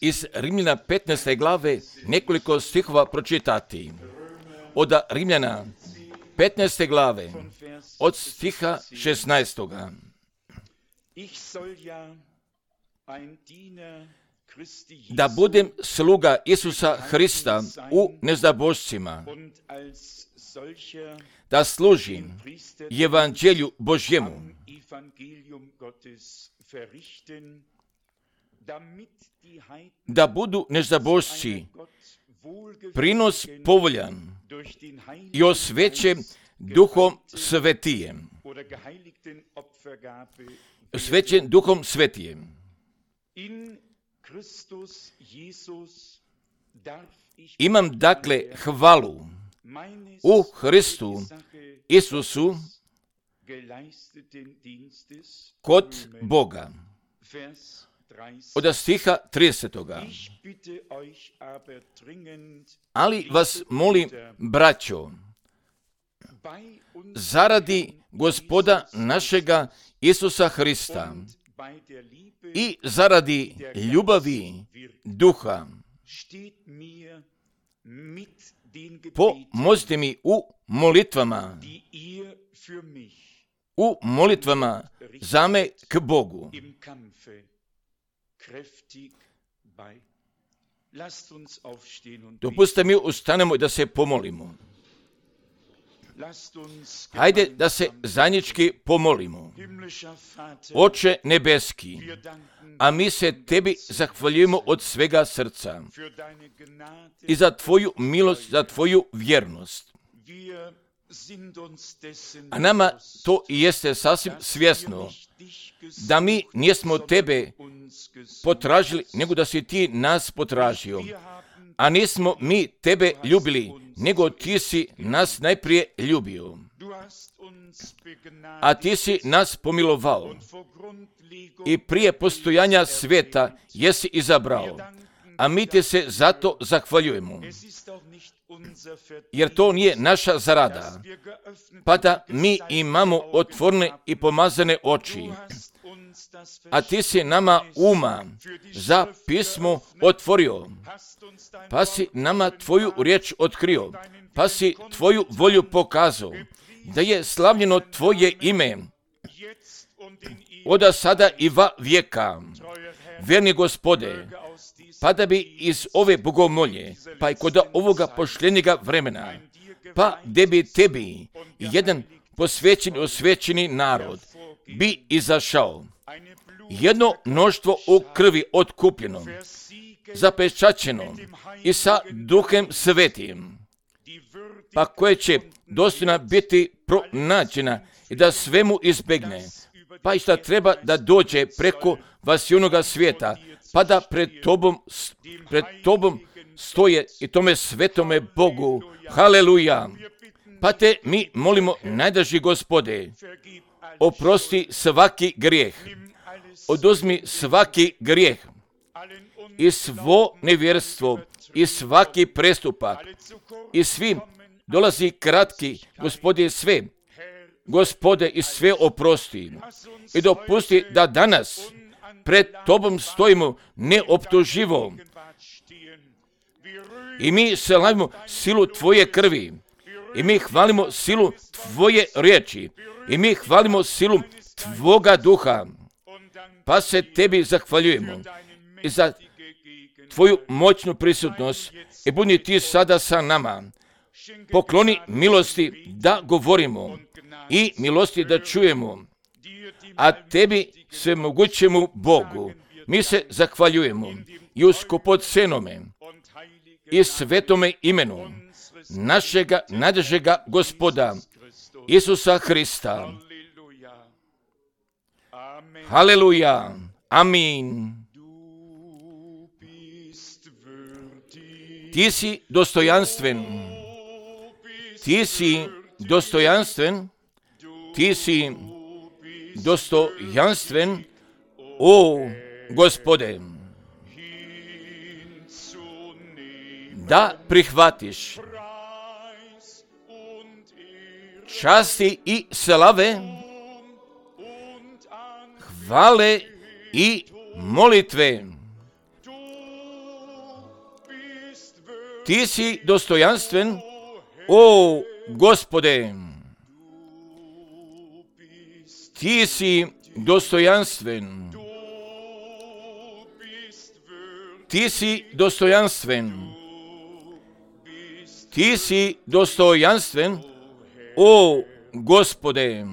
iz Rimljana 15. glave nekoliko stihova pročitati. Od Rimljana 15. glave, od stiha 16. Da budem sluga Isusa Hrista u neznabošcima, da služim evanđelju Božjemu, da budu neznabošci prinos povoljan i osvećen Duhom Svetijem. Osvećen Duhom Svetijem. Imam dakle hvalu u Hristu Isusu kod Boga. Od stiha 30. Ali vas molim, braćo, zaradi Gospoda našega Isusa Hrista i zaradi ljubavi Duha, pomozite mi u molitvama za me k Bogu. Dopustite mi ustanemo i da se pomolimo. Hajde da se zajednički pomolimo. Oče nebeski, a mi se tebi zahvaljujemo od svega srca i za tvoju milost, za tvoju vjernost. A nama to i jeste sasvim svjesno, da mi nismo tebe potražili, nego da si ti nas potražio. A nismo mi tebe ljubili, nego ti si nas najprije ljubio. A ti si nas pomilovao i prije postojanja svijeta jesi izabrao. A mi te se zato zahvaljujemo. Jer to nije naša zarada, pa da mi imamo otvorene i pomazane oči. A ti si nama uma za pismo otvorio, pa si nama tvoju riječ otkrio, pa si tvoju volju pokazao, da je slavljeno tvoje ime, od sada i va vijeka. Verni Gospode, pa da bi iz ove bogomolje, pa i kod ovoga pošljenjega vremena, pa da bi tebi jedan posvećen, osvećeni narod bi izašao. Jedno mnoštvo u krvi otkupljeno, zapečaćeno i sa Duhem Svetim, pa koje će dostojna biti pronađena i da svemu izbegne, pa i šta treba da dođe preko vasionoga svijeta, pa da pred tobom stoje i tome svetome Bogu. Haleluja! Pa te mi molimo, najdraži Gospode, oprosti svaki grijeh, oduzmi svaki grijeh i svo nevjerstvo i svaki prestupak i svim dolazi kratki, Gospode, i sve oprosti i dopusti da danas pred tobom stojimo neoptuživo i mi slavimo silu tvoje krvi i mi hvalimo silu tvoje riječi i mi hvalimo silu tvoga duha, pa se tebi zahvaljujemo i za tvoju moćnu prisutnost i budi ti sada sa nama. Pokloni milosti da govorimo i milosti da čujemo, a tebi svemogućemu Bogu mi se zahvaljujemo i u skupocenome i svetome imenu našega najdražega Gospoda Isusa Hrista. Haleluja. Amin. Ti si dostojanstven. Ti si dostojanstven. Ti si dostojanstven, o Gospode, da prihvatiš časti i slave, hvale i molitve Ti si dostojanstven, o Gospode. Ti si dostojanstven. Ti si dostojanstven. Ti si dostojanstven, o Gospode.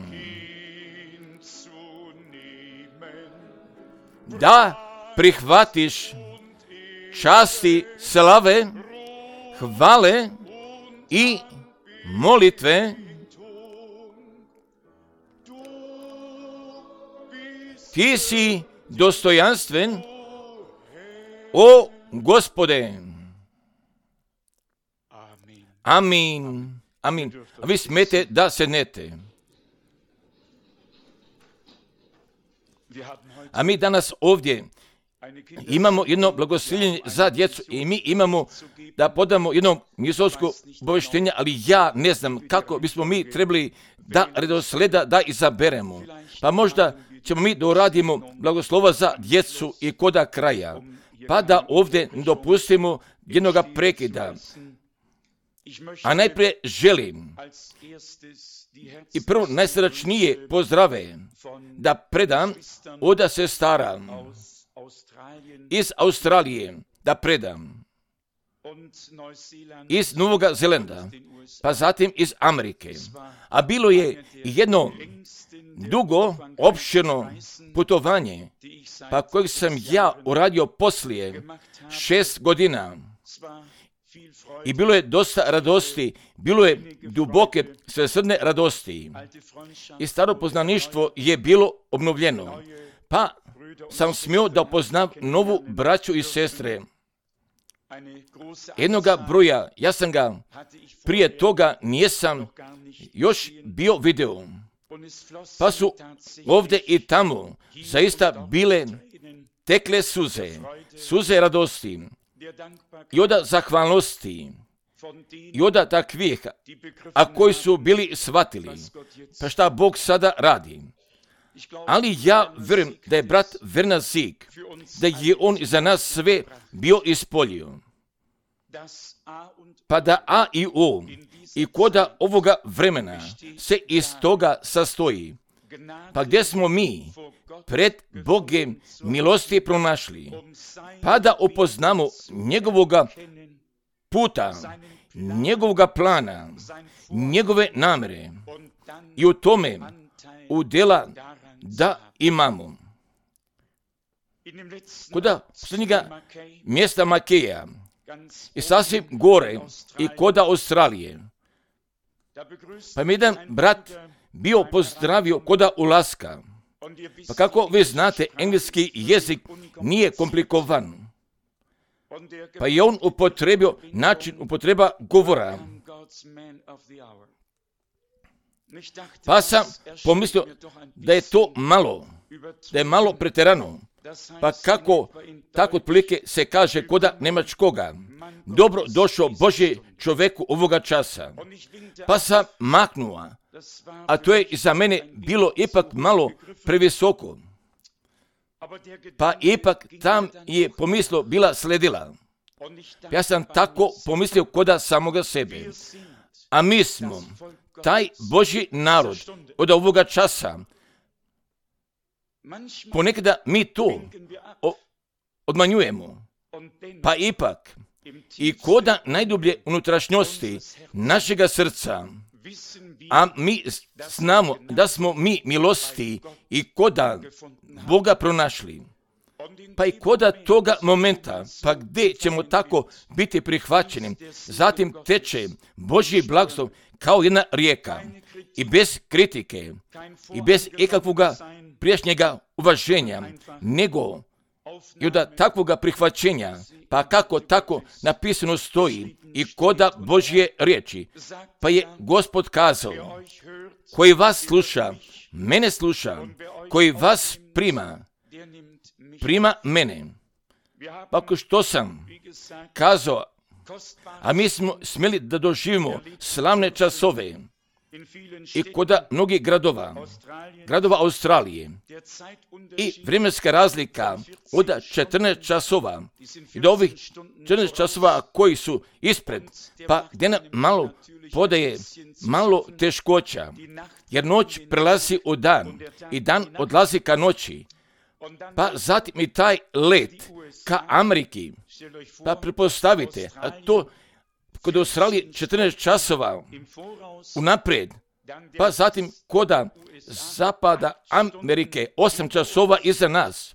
Da prihvatiš časti, slave, hvale i molitve. Ti si dostojanstven, o Gospode. Amin. Amin. A vi smete da sednete. A mi danas ovdje imamo jedno blagoslovljenje za djecu i mi imamo da podamo jedno misijsko obavještenje, ali ja ne znam kako bismo mi trebali da redosleda da izaberemo. Pa možda ćemo mi da uradimo blagoslova za djecu i koda kraja, pa da ovdje dopustimo jednoga prekida. A najprije želim i prvo najsrdačnije pozdrave da predam od sestara iz Australije, da predam iz Novog Zelanda, pa zatim iz Amerike. A bilo je jedno dugo, opširno putovanje, pa kojeg sam ja uradio poslije 6 godina. I bilo je dosta radosti, bilo je duboke svesrdne radosti. I staro poznaništvo je bilo obnovljeno. Pa sam smio da upoznam novu braću i sestre. Jednoga broja, ja sam ga prije toga nisam još bio video. Pa su ovdje i tamo zaista bile tekle suze radosti. I od zahvalnosti, i od takvih, a koji su bili shvatili, pa šta Bog sada radi. Ali ja vjerujem da je brat Werner Sieg, da je on za nas sve bio ispolio. Pa da A i O i koda ovoga vremena se iz toga sastoji. Pa gdje smo mi pred Bogem milosti pronašli, pa da upoznamo njegovoga puta, njegovoga plana, njegove namere i u tome udjela da imamo. Koda posljednjega mjesta Makeja i sasvim gore i koda Australije, pa mi jedan brat bio pozdravio koda ulaska. Pa kako vi znate, engleski jezik nije komplikovan. Pa je on upotrebio način upotreba govora. Pa sam pomislio da je to malo, da je malo pretjerano. Pa kako tako otprilike se kaže koda njemačkoga. Dobro došao Božji čovjeku ovoga časa. Pa sam maknuo, a to je za mene bilo ipak malo previsoko. Pa ipak tam je pomislo bila sledila. Ja sam tako pomislio koda samoga sebe. A mi smo taj Božji narod od ovoga časa. Ponekada mi to odmanjujemo. Pa ipak i koda najdublje unutrašnjosti našega srca, a mi znamo da smo mi milosti i koda Boga pronašli. Pa i koda toga momenta, pa gdje ćemo tako biti prihvaćeni, zatim teče Božji blagoslov kao jedna rijeka i bez kritike i bez ikakvoga prijašnjega uvaženja, nego i od takvoga prihvaćenja, pa kako tako napisano stoji i koda Božje riječi. Pa je Gospod kazao, koji vas sluša, mene sluša, koji vas prima mene. Pa ako što sam kazao, a mi smo smjeli da doživimo slavne časove, i kod mnogih gradova Australije. I vremenska razlika od 14 časova i do ovih 14 časova koji su ispred, pa gdje nam malo podaje malo teškoća, jer noć prelazi u dan i dan odlazi ka noći. Pa zatim i taj let ka Ameriki, pa pretpostavite, a to kod Australije 14 časova unaprijed, pa zatim kod zapada Amerike 8 časova iza nas.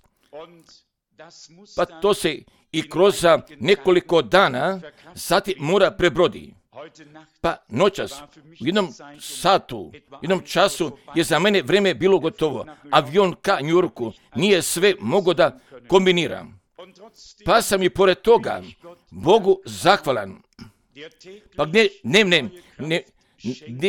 Pa to se i kroz nekoliko dana zatim mora prebrodi. Pa noćas, u jednom satu, jednom času je za mene vrijeme bilo gotovo. Avion ka New Yorku nije sve mogao da kombiniram. Pa sam i pored toga Bogu zahvalan. Pa gdje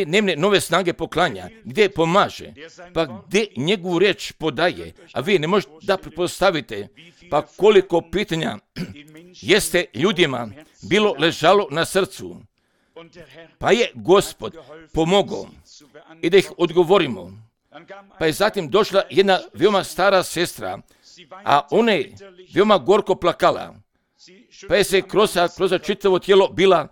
dnevne nove snage poklanja, gdje pomaže, pa gdje njegovu riječ podaje, a vi ne možete da pretpostavite, pa koliko pitanja jeste ljudima bilo ležalo na srcu. Pa je Gospod pomogao i da ih odgovorimo. Pa je zatim došla jedna veoma stara sestra, a ona je veoma gorko plakala. Pa je se kroz čitavo tijelo bila,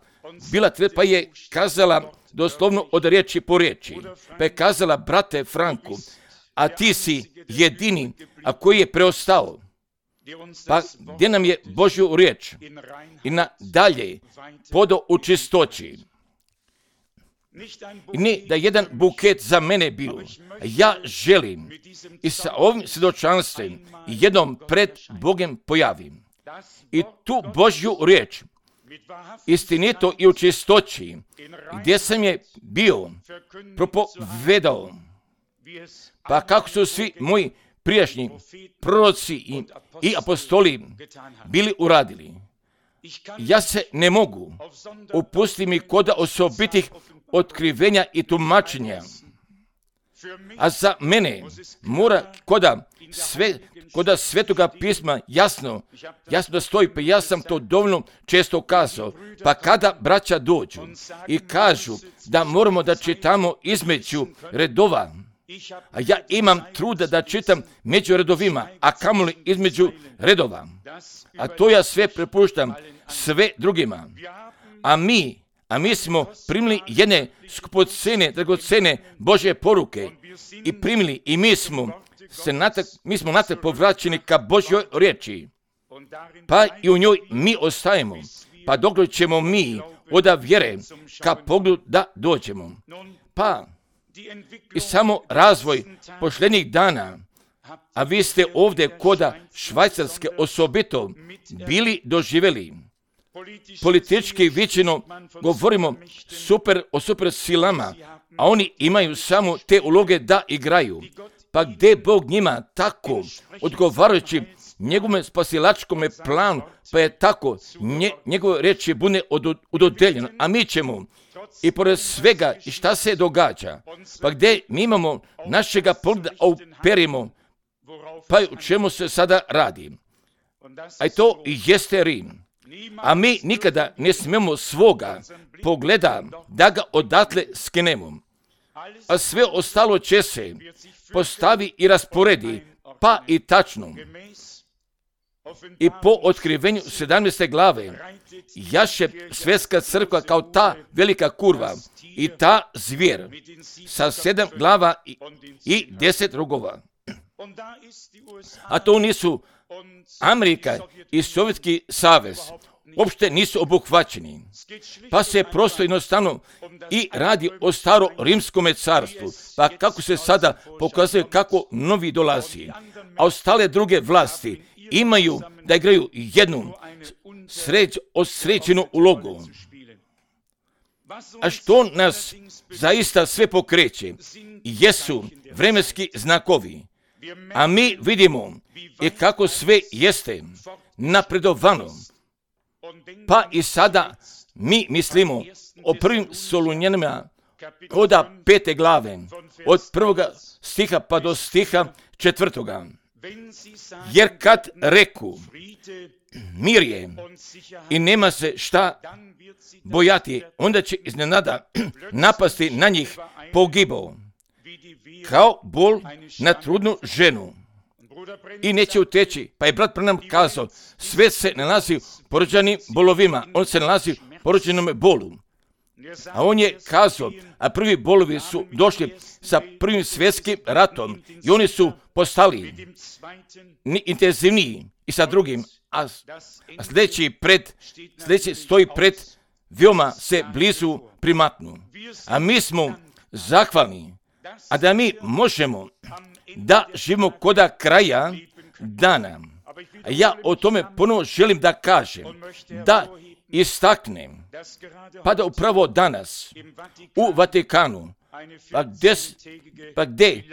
pa je kazala doslovno od riječi po riječi. Pa je kazala, brate Franku, a ti si jedini, a koji je preostao. Pa gdje nam je Božju riječ i nadalje podao u čistoći. I ne da jedan buket za mene bio. Ja želim i sa ovim svjedočanstvom jednom pred Bogom pojavim. I tu Božju riječ istinito i u čistoći, gdje sam je bio propovedao, pa kako su svi moji prijašnji proroci i apostoli bili uradili. Ja se ne mogu upustiti mi kod osobitih otkrivenja i tumačenja. A za mene mora kod Svetoga pisma jasno da stoji, pa ja sam to dovoljno često kazao. Pa kada braća dođu i kažu da moramo da čitamo između redova, a ja imam truda da čitam među redovima, a kamoli između redova, a to ja sve prepuštam sve drugima. A mi smo primili jedne skupocene, dragocene Božje poruke i primili i mi smo natrag povraćeni ka Božjoj riječi. Pa i u njoj mi ostajemo, pa dok ćemo mi od vjere ka pogledu da dođemo. Pa i samo razvoj posljednjih dana, a vi ste ovdje koda Švajcarske osobito bili doživjeli. Politički viđeno govorimo o super silama, a oni imaju samo te uloge da igraju. Pa gdje Bog njima tako odgovarajući njegovom spasilačkom planu, pa je tako njegove riječi bude udodeljeno, a mi ćemo i pored svega i šta se događa, pa gdje mi imamo našega pogleda uperimo, pa u čemu se sada radi. A to jeste Rim. A mi nikada ne smijemo svoga pogleda da ga odatle skinemo. A sve ostalo će se postavi i rasporedi, pa i tačno. I po otkrivenju 17. glave jaše svjetska crkva kao ta velika kurva i ta zvijer sa 7 glava i 10 rogova. A to nisu Amerika i Sovjetski savez, uopšte nisu obuhvaćeni. Pa se prosto jednostavno i radi o staro rimskom carstvu, pa kako se sada pokazuje kako novi dolazi, a ostale druge vlasti imaju da igraju jednu sređenu ulogu. A što nas zaista sve pokreće jesu vremenski znakovi. A mi vidimo i kako sve jeste napredovano. Pa i sada mi mislimo o prvim Solunjanima od 5. glave, od 1. stiha pa do stiha 4. Jer kad reku mir je i nema se šta bojati, onda će iznenada napasti na njih pogibao, kao bol na trudnu ženu i neće uteći. Pa je brat Branham kazao, sve se nalazi u porođenim bolovima, on se nalazi u porođenom bolu. A on je kazao, a prvi bolovi su došli sa prvim svjetskim ratom i oni su postali intenzivniji i sa drugim, a sljedeći stoji pred veoma se blizu primatnu. A mi smo zahvalni, a da mi možemo da živimo koda kraja dana. A ja o tome ponovo želim da kažem, da istaknem, pa da upravo danas u Vatikanu, pa gdje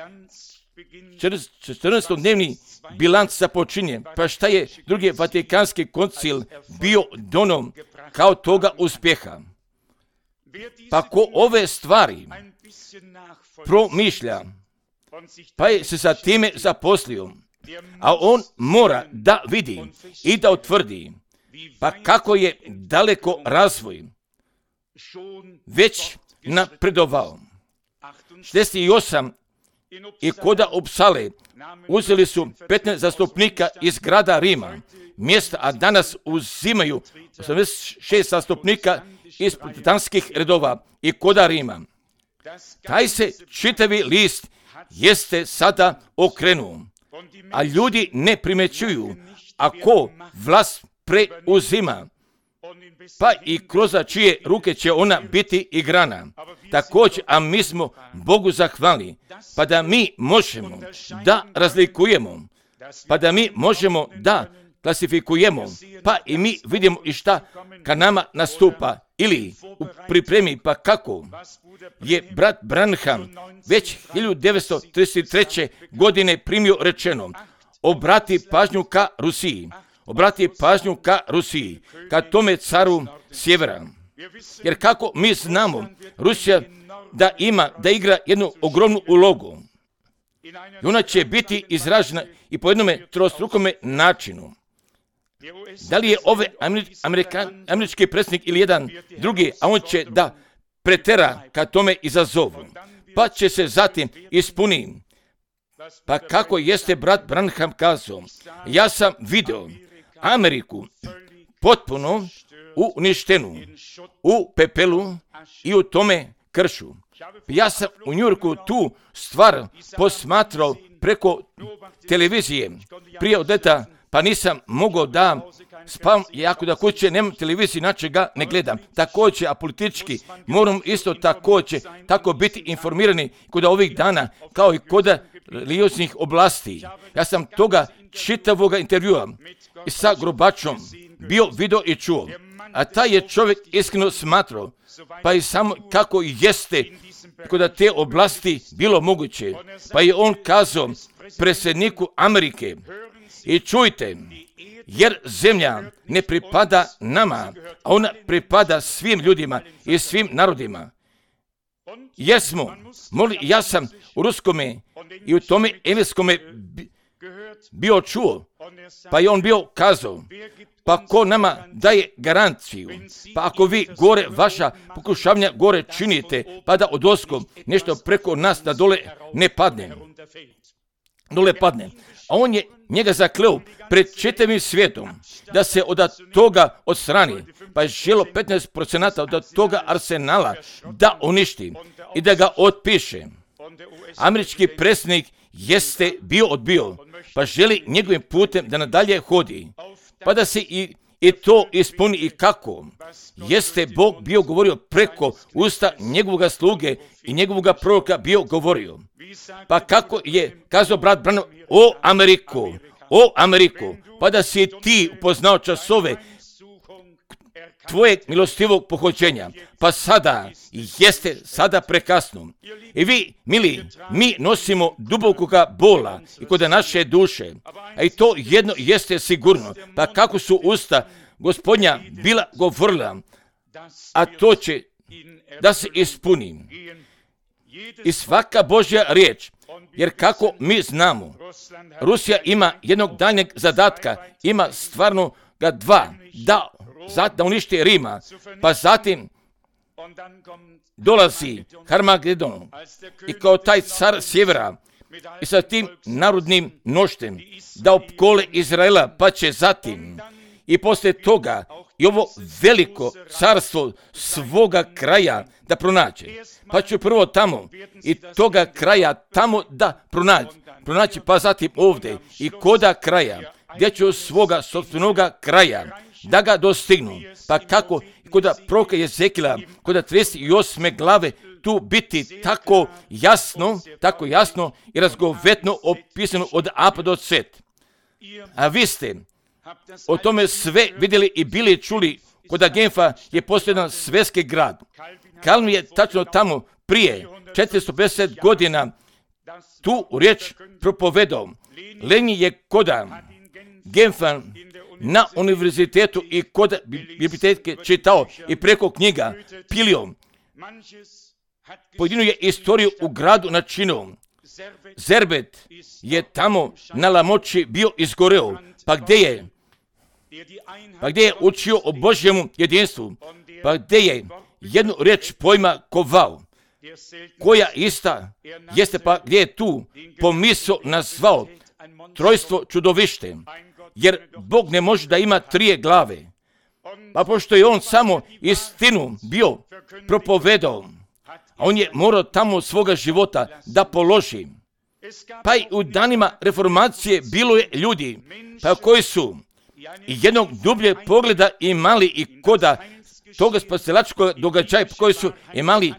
14-dnevni bilanc započinje, pa šta je drugi Vatikanski koncil bio donom kao toga uspjeha. Pa ko ove stvari promišlja, pa je se sa time zaposlio, a on mora da vidi i da utvrdi, pa kako je daleko razvoj već napredovao. 68 i koda Upsale uzeli su 15 zastupnika iz grada Rima, mjesta, a danas uzimaju 86 zastupnika iz protestanskih redova i koda Rima. Taj se čitavi list jeste sada okrenuo, a ljudi ne primećuju ako vlast preuzima, pa i kroz čije ruke će ona biti igrana. Također, a mi smo Bogu zahvalni, pa da mi možemo da razlikujemo, pa da mi možemo da klasifikujemo, pa i mi vidimo i šta ka nama nastupa, ili u pripremi, pa kako je brat Branham već 1933. godine primio rečeno, obrati pažnju ka Rusiji, ka tome caru sjevera. Jer kako mi znamo, Rusija da igra jednu ogromnu ulogu. I ona će biti izražena i po jednome trostrukome načinu. Da li je ovaj američki predsjednik ili jedan drugi, a on će da pretera ka tome izazovu. Pa će se zatim ispuniti. Pa kako jeste brat Branham kazao, ja sam vidio Ameriku potpuno uništenu, u pepelu i u tome kršu. Ja sam u Njujorku tu stvar posmatrao preko televizije prije od leta, pa nisam mogao da spavam, jako da kuće nemam televiziju, inače ga ne gledam. Također, a politički moram isto također tako biti informirani kod ovih dana, kao i kod religioznih oblasti. Ja sam toga čitavoga intervjua i sa Gorbačom bio video i čuo. A taj je čovjek iskreno smatrao, pa i samo kako jeste kod te oblasti bilo moguće. Pa je on kazao predsjedniku Amerike, i čujte, jer zemlja ne pripada nama, a ona pripada svim ljudima i svim narodima. Jesmo, ja sam u ruskome i u tome engleskome bio čuo, pa je on bio kazao, pa ko nama daje garanciju, pa ako vi gore vaša pokušavanja gore činite, pa da odoskom nešto preko nas da dole ne padne. A on je njega zakleo pred čitavim svijetom da se od toga odstrani, pa je želo 15% od toga arsenala da uništi i da ga otpiše. Američki predsjednik jeste bio odbio, pa želi njegovim putem da nadalje hodi, pa da se i to ispuni i kako. Jeste Bog bio govorio preko usta njegovog sluge i njegovog proroka bio govorio. Pa kako je kazao brat Branham, o Ameriko, pa da si ti upoznao časove tvojeg milostivog pohođenja, pa sada jeste prekasno. I vi, mili, mi nosimo dubokoga bola i kod naše duše, a i to jedno jeste sigurno, pa kako su usta Gospodnja bila govorila, a to će da se ispuni. I svaka Božja riječ Jer kako mi znamo, Rusija ima jednog daljnjeg zadatka, ima stvarno ga dva, da uništi Rima, pa zatim dolazi Harmagedon i kao taj car sjevera i sa tim narodnim noštem da opkole Izraela, pa će zatim i poslije toga i ovo veliko carstvo svoga kraja da pronaće. Pa ću prvo tamo i toga kraja tamo da pronaći, pa zatim ovdje i koda kraja, gdje ću svoga sopstvenoga kraja da ga dostignu. Pa kako i koda proroka Jezekila, koda 38. glave tu biti tako jasno i razgovetno opisano od A pa do Z. A vi ste o tome sve vidjeli i bili čuli. Kod Genfa je postoji jedan svjetski grad. Kalvin je tačno tamo prije 450 godina tu riječ propovedao. Lenin je kod Genfa na univerzitetu i kod biblioteke čitao i preko knjiga pilio. Pojedinu je istoriju u gradu načinio. Zerbet je tamo na Lamoći bio izgoreo. Pa gdje je učio o Božjemu jedinstvu, pa gdje je jednu riječ pojma kovao, koja ista jeste, pa gdje je tu pomisao nazvao trojstvo čudovište, jer Bog ne može da ima 3 glave, pa pošto je on samo istinu bio propovedao, a on je morao tamo svoga života da položi. Pa i u danima reformacije bilo je ljudi, pa koji su i jednog dublje pogleda imali i koda toga spasilačkog događaja, koji su imali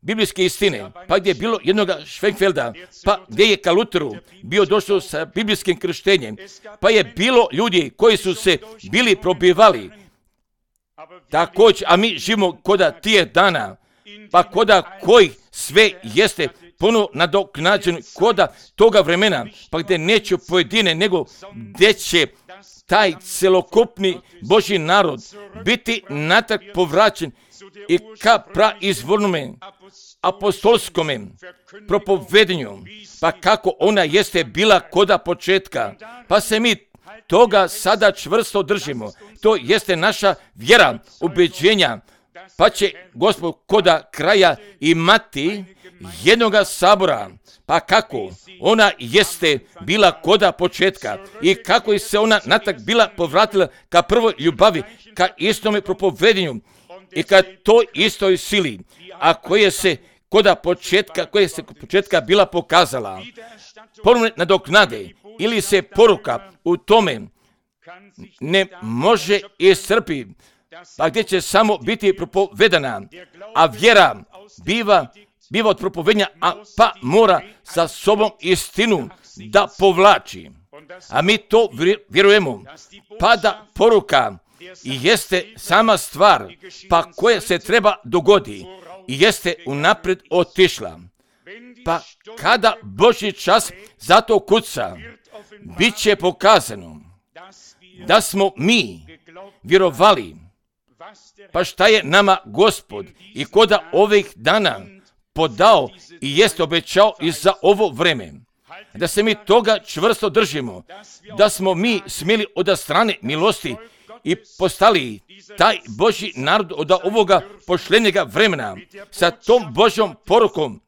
biblijske istine, pa gdje je bilo jednoga Schwenkfelda, pa gdje je ka Luteru bio došao sa biblijskim krštenjem, pa je bilo ljudi koji su se bili probivali također, a mi živimo koda tije dana, pa koda koji sve jeste puno nadoknađeno koda toga vremena, pa gdje neće pojedine, nego gdje će taj celokupni Božji narod biti natrag povraćen i ka praizvornome apostolskome propovedanju, pa kako ona jeste bila koda početka, pa se mi toga sada čvrsto držimo. To jeste naša vjera, ubeđenja, pa će Gospod koda kraja imati jednoga sabora, pa kako ona jeste bila koda početka i kako je se ona natrag bila povratila ka prvoj ljubavi, ka istome propovedanju i ka toj istoj sili, a koja se početka bila pokazala. Ponovne nadoknade ili se poruka u tome ne može iscrpiti, pa gdje će samo biti propovedana, a vjera biva od propovedanja, pa mora sa sobom istinu da povlači. A mi to vjerujemo, pa da poruka i jeste sama stvar, pa koja se treba dogodi i jeste unaprijed otišla. Pa kada Božji čas za to kuca, bit će pokazano da smo mi vjerovali, pa šta je nama Gospod i koda ovih dana podao i jest obećao i za ovo vreme. Da se mi toga čvrsto držimo, da smo mi smjeli od strane milosti i postali taj Božji narod od ovoga pošljenjega vremena sa tom Božjom porukom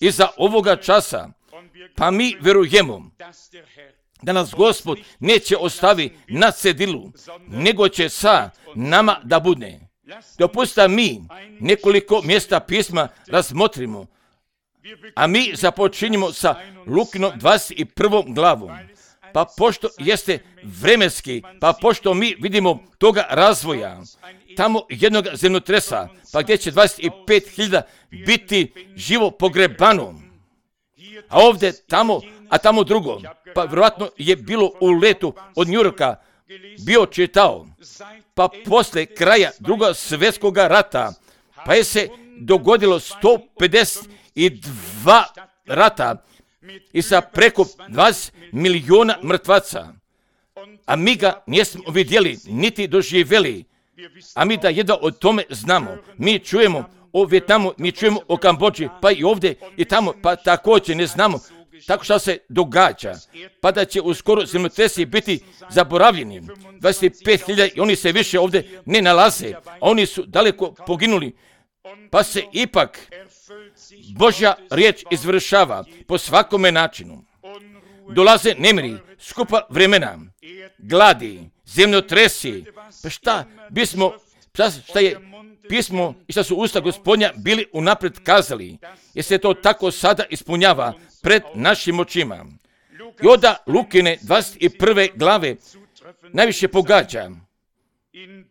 i za ovoga časa. Pa mi vjerujemo da nas Gospod neće ostavi na cedilu, nego će sa nama da bude. Dopustite mi nekoliko mjesta pisma razmotrimo, a mi započinjemo sa Lukinom 21. glavom. Pa pošto jeste vremenski, pa pošto mi vidimo toga razvoja, tamo jednog zemljotresa, pa gdje će 25.000 biti živo pogrebano, a ovdje tamo drugo, pa vjerojatno je bilo u letu od New Yorka, bio čitao, pa poslije kraja Drugog svjetskog rata, pa je se dogodilo 152 rata i sa preko 20 milijuna mrtvaca, a mi ga nismo vidjeli, niti doživjeli, a mi da jedno o tome znamo. Mi čujemo o Vijetnamu, mi čujemo o Kambodži, pa i ovdje i tamo, pa također ne znamo tako što se događa, pa da će uskoro zemljotresi biti zaboravljeni. 25.000 i oni se više ovdje ne nalaze, a oni su daleko poginuli, pa se ipak Božja riječ izvršava po svakome načinu. Dolaze nemiri, skupa vremena, gladi, zemljotresi, pa šta je pismo i šta su usta Gospodnja bili unaprijed kazali, jer se to tako sada ispunjava pred našim očima. I onda Lukine 21. glave najviše pogađa,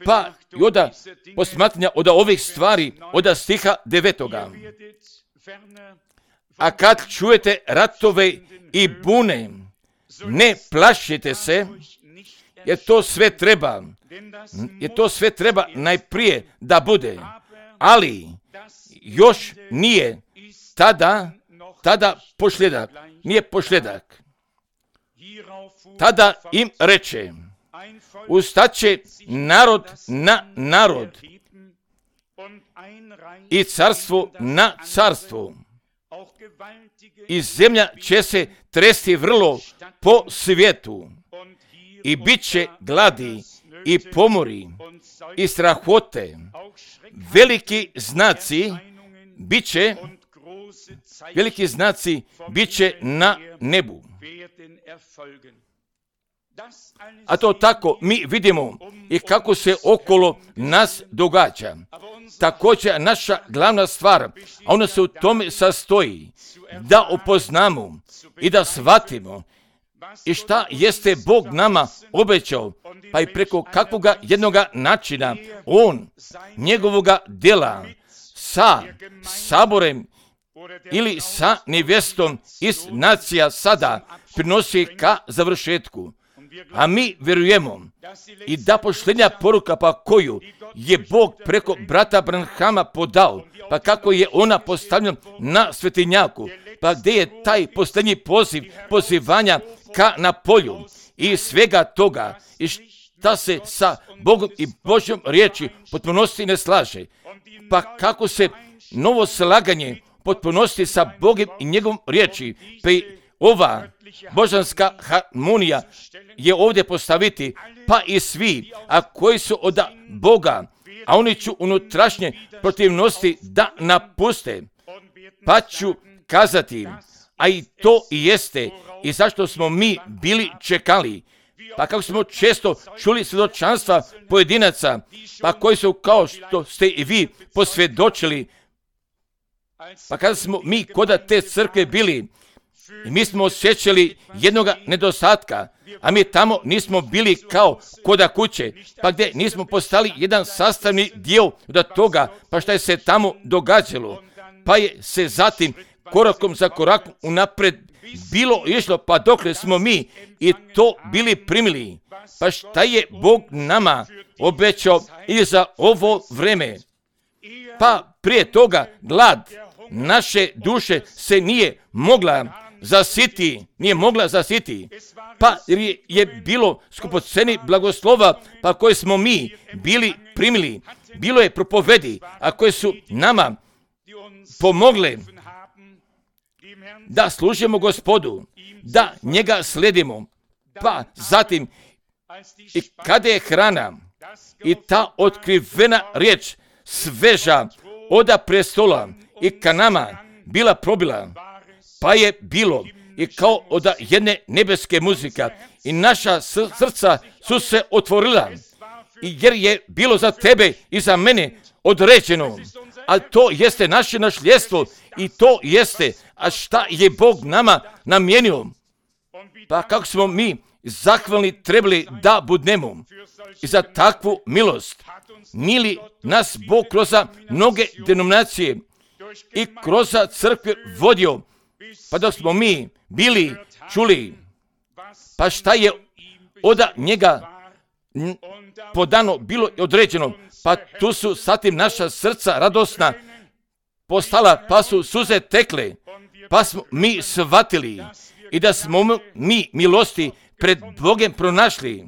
pa i onda posmatranja od ovih stvari, od stiha 9. A kad čujete ratove i bune, ne plašite se, jer to sve treba najprije da bude, ali još nije tada pošljedak, nije pošljedak. Tada im reče, ustaće narod na narod i carstvo na carstvo. I zemlja će se tresti vrlo po svijetu i bit će gladi i pomori i strahote. Veliki znaci bit će na nebu. A to tako mi vidimo i kako se okolo nas događa. Također naša glavna stvar, a ona se u tome sastoji, da upoznamo i da shvatimo i šta jeste Bog nama obećao, pa i preko kakvoga jednoga načina On, njegovoga djela, sa saborem ili sa nevjestom iz nacija sada prinosi ka završetku. A mi vjerujemo i da posljednja poruka pa koju je Bog preko brata Branhama podao, pa kako je ona postavljena na svetinjaku, pa gdje je taj posljednji pozivanja ka na polju i svega toga i šta se sa Bogom i Božjom riječi potpunosti ne slaže, pa kako se novo slaganje potpunosti sa Bogom i njegovom riječi, pa i ova božanska harmonija je ovdje postaviti, pa i svi, a koji su od Boga, a oni ću unutrašnje protivnosti da napuste, pa ću kazati, a i to i jeste, i zašto smo mi bili čekali, pa kako smo često čuli svjedočanstva pojedinaca, pa koji su kao što ste i vi posvjedočili, pa kada smo mi kod te crkve bili, i mi smo osjećali jednoga nedostatka, a mi tamo nismo bili kao koda kuće, pa gdje nismo postali jedan sastavni dio od toga, pa šta je se tamo događalo, pa je se zatim korakom za korakom unapred bilo išlo, pa dokle smo mi i to bili primili, pa šta je Bog nama obećao i za ovo vreme. Pa prije toga glad naše duše se nije mogla zasiti, pa je bilo skupoceni blagoslova, pa koje smo mi bili primili, bilo je propovedi, a koje su nama pomogle da služimo Gospodu, da njega sledimo, pa zatim i kada je hrana i ta otkrivena riječ sveža oda prestola i ka nama bila probila, pa je bilo i kao od jedne nebeske muzika i naša srca su se otvorila, i jer je bilo za tebe i za mene određeno, ali to jeste naše nasljedstvo i to jeste, a šta je Bog nama namijenio, pa kako smo mi zahvalni trebali da budemo i za takvu milost. Nije li nas Bog kroz mnoge denominacije i kroz crkve vodio, pa dok smo mi bili čuli, pa šta je od njega podano bilo određeno, pa tu su zatim naša srca radosna postala, pa su suze tekle, pa smo mi shvatili i da smo mi milosti pred Bogom pronašli,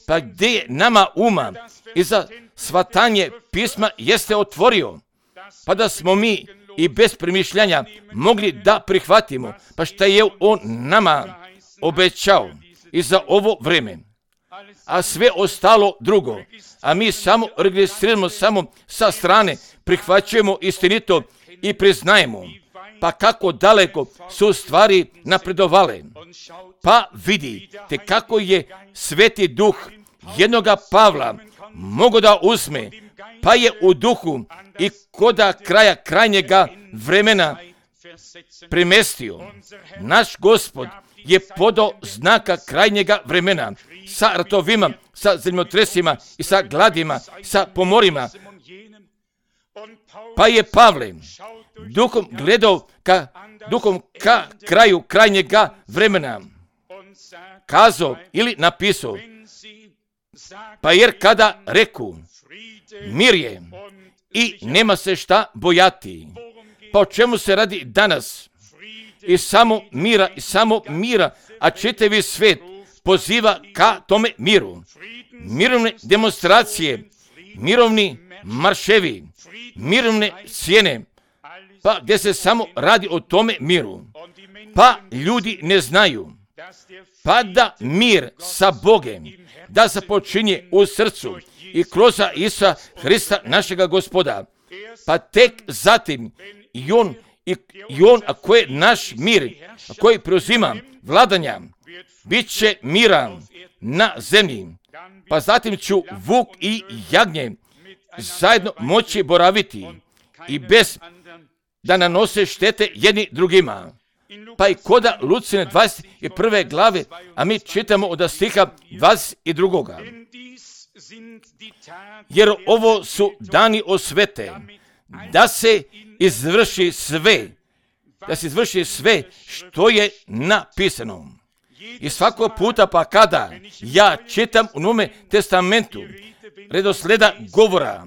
pa gdje je nama uma i za shvatanje pisma jeste otvorio, pa da smo mi i bez premišljanja mogli da prihvatimo, pa šta je on nama obećao i za ovo vrijeme. A sve ostalo drugo, a mi samo registriramo samo sa strane, prihvaćujemo istinito i priznajemo. Pa kako daleko su stvari napredovale. Pa vidite kako je Sveti Duh jednoga Pavla mogao da uzme, pa je u duhu i koda kraja krajnjega vremena premestio. Naš Gospod je podao znaka krajnjega vremena sa ratovima, sa zemljotresima i sa gladima, sa pomorima. Pa je Pavle duhom gledao ka kraju krajnjega vremena kazao ili napisao, pa jer kada reku mir je i nema se šta bojati, pa o čemu se radi danas? I samo mira, a čitavi svijet poziva ka tome miru. Mirovne demonstracije, mirovni marševi, mirovne sjene, pa gdje se samo radi o tome miru. Pa ljudi ne znaju, pa da mir sa Bogem, da se počinje u srcu i kroz Isusa Hrista našega Gospoda. Pa tek zatim i on ako je naš mir, koji preuzima vladanja, bit će miran na zemlji. Pa zatim ću vuk i jagnje zajedno moći boraviti i bez da nanose štete jedni drugima. Pa i koda Lucine 21. glave, a mi čitamo od stiha 22. Jer ovo su dani osvete, da se izvrši sve što je napisano. I svakog puta pa kada ja čitam u Novome testamentu redosleda govora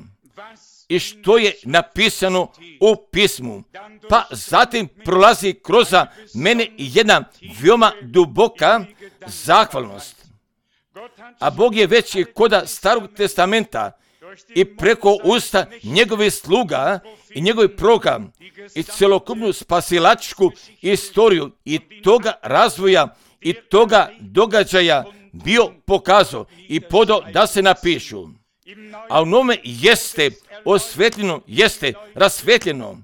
i što je napisano u pismu, pa zatim prolazi kroz mene jedna veoma duboka zahvalnost. A Bog je već i koda Starog testamenta i preko usta njegovih sluga i njegovih proroka i celokupnu spasilačku istoriju i toga razvoja i toga događaja bio pokazao i podao da se napišu. A u nome jeste osvetljeno, jeste rasvetljeno,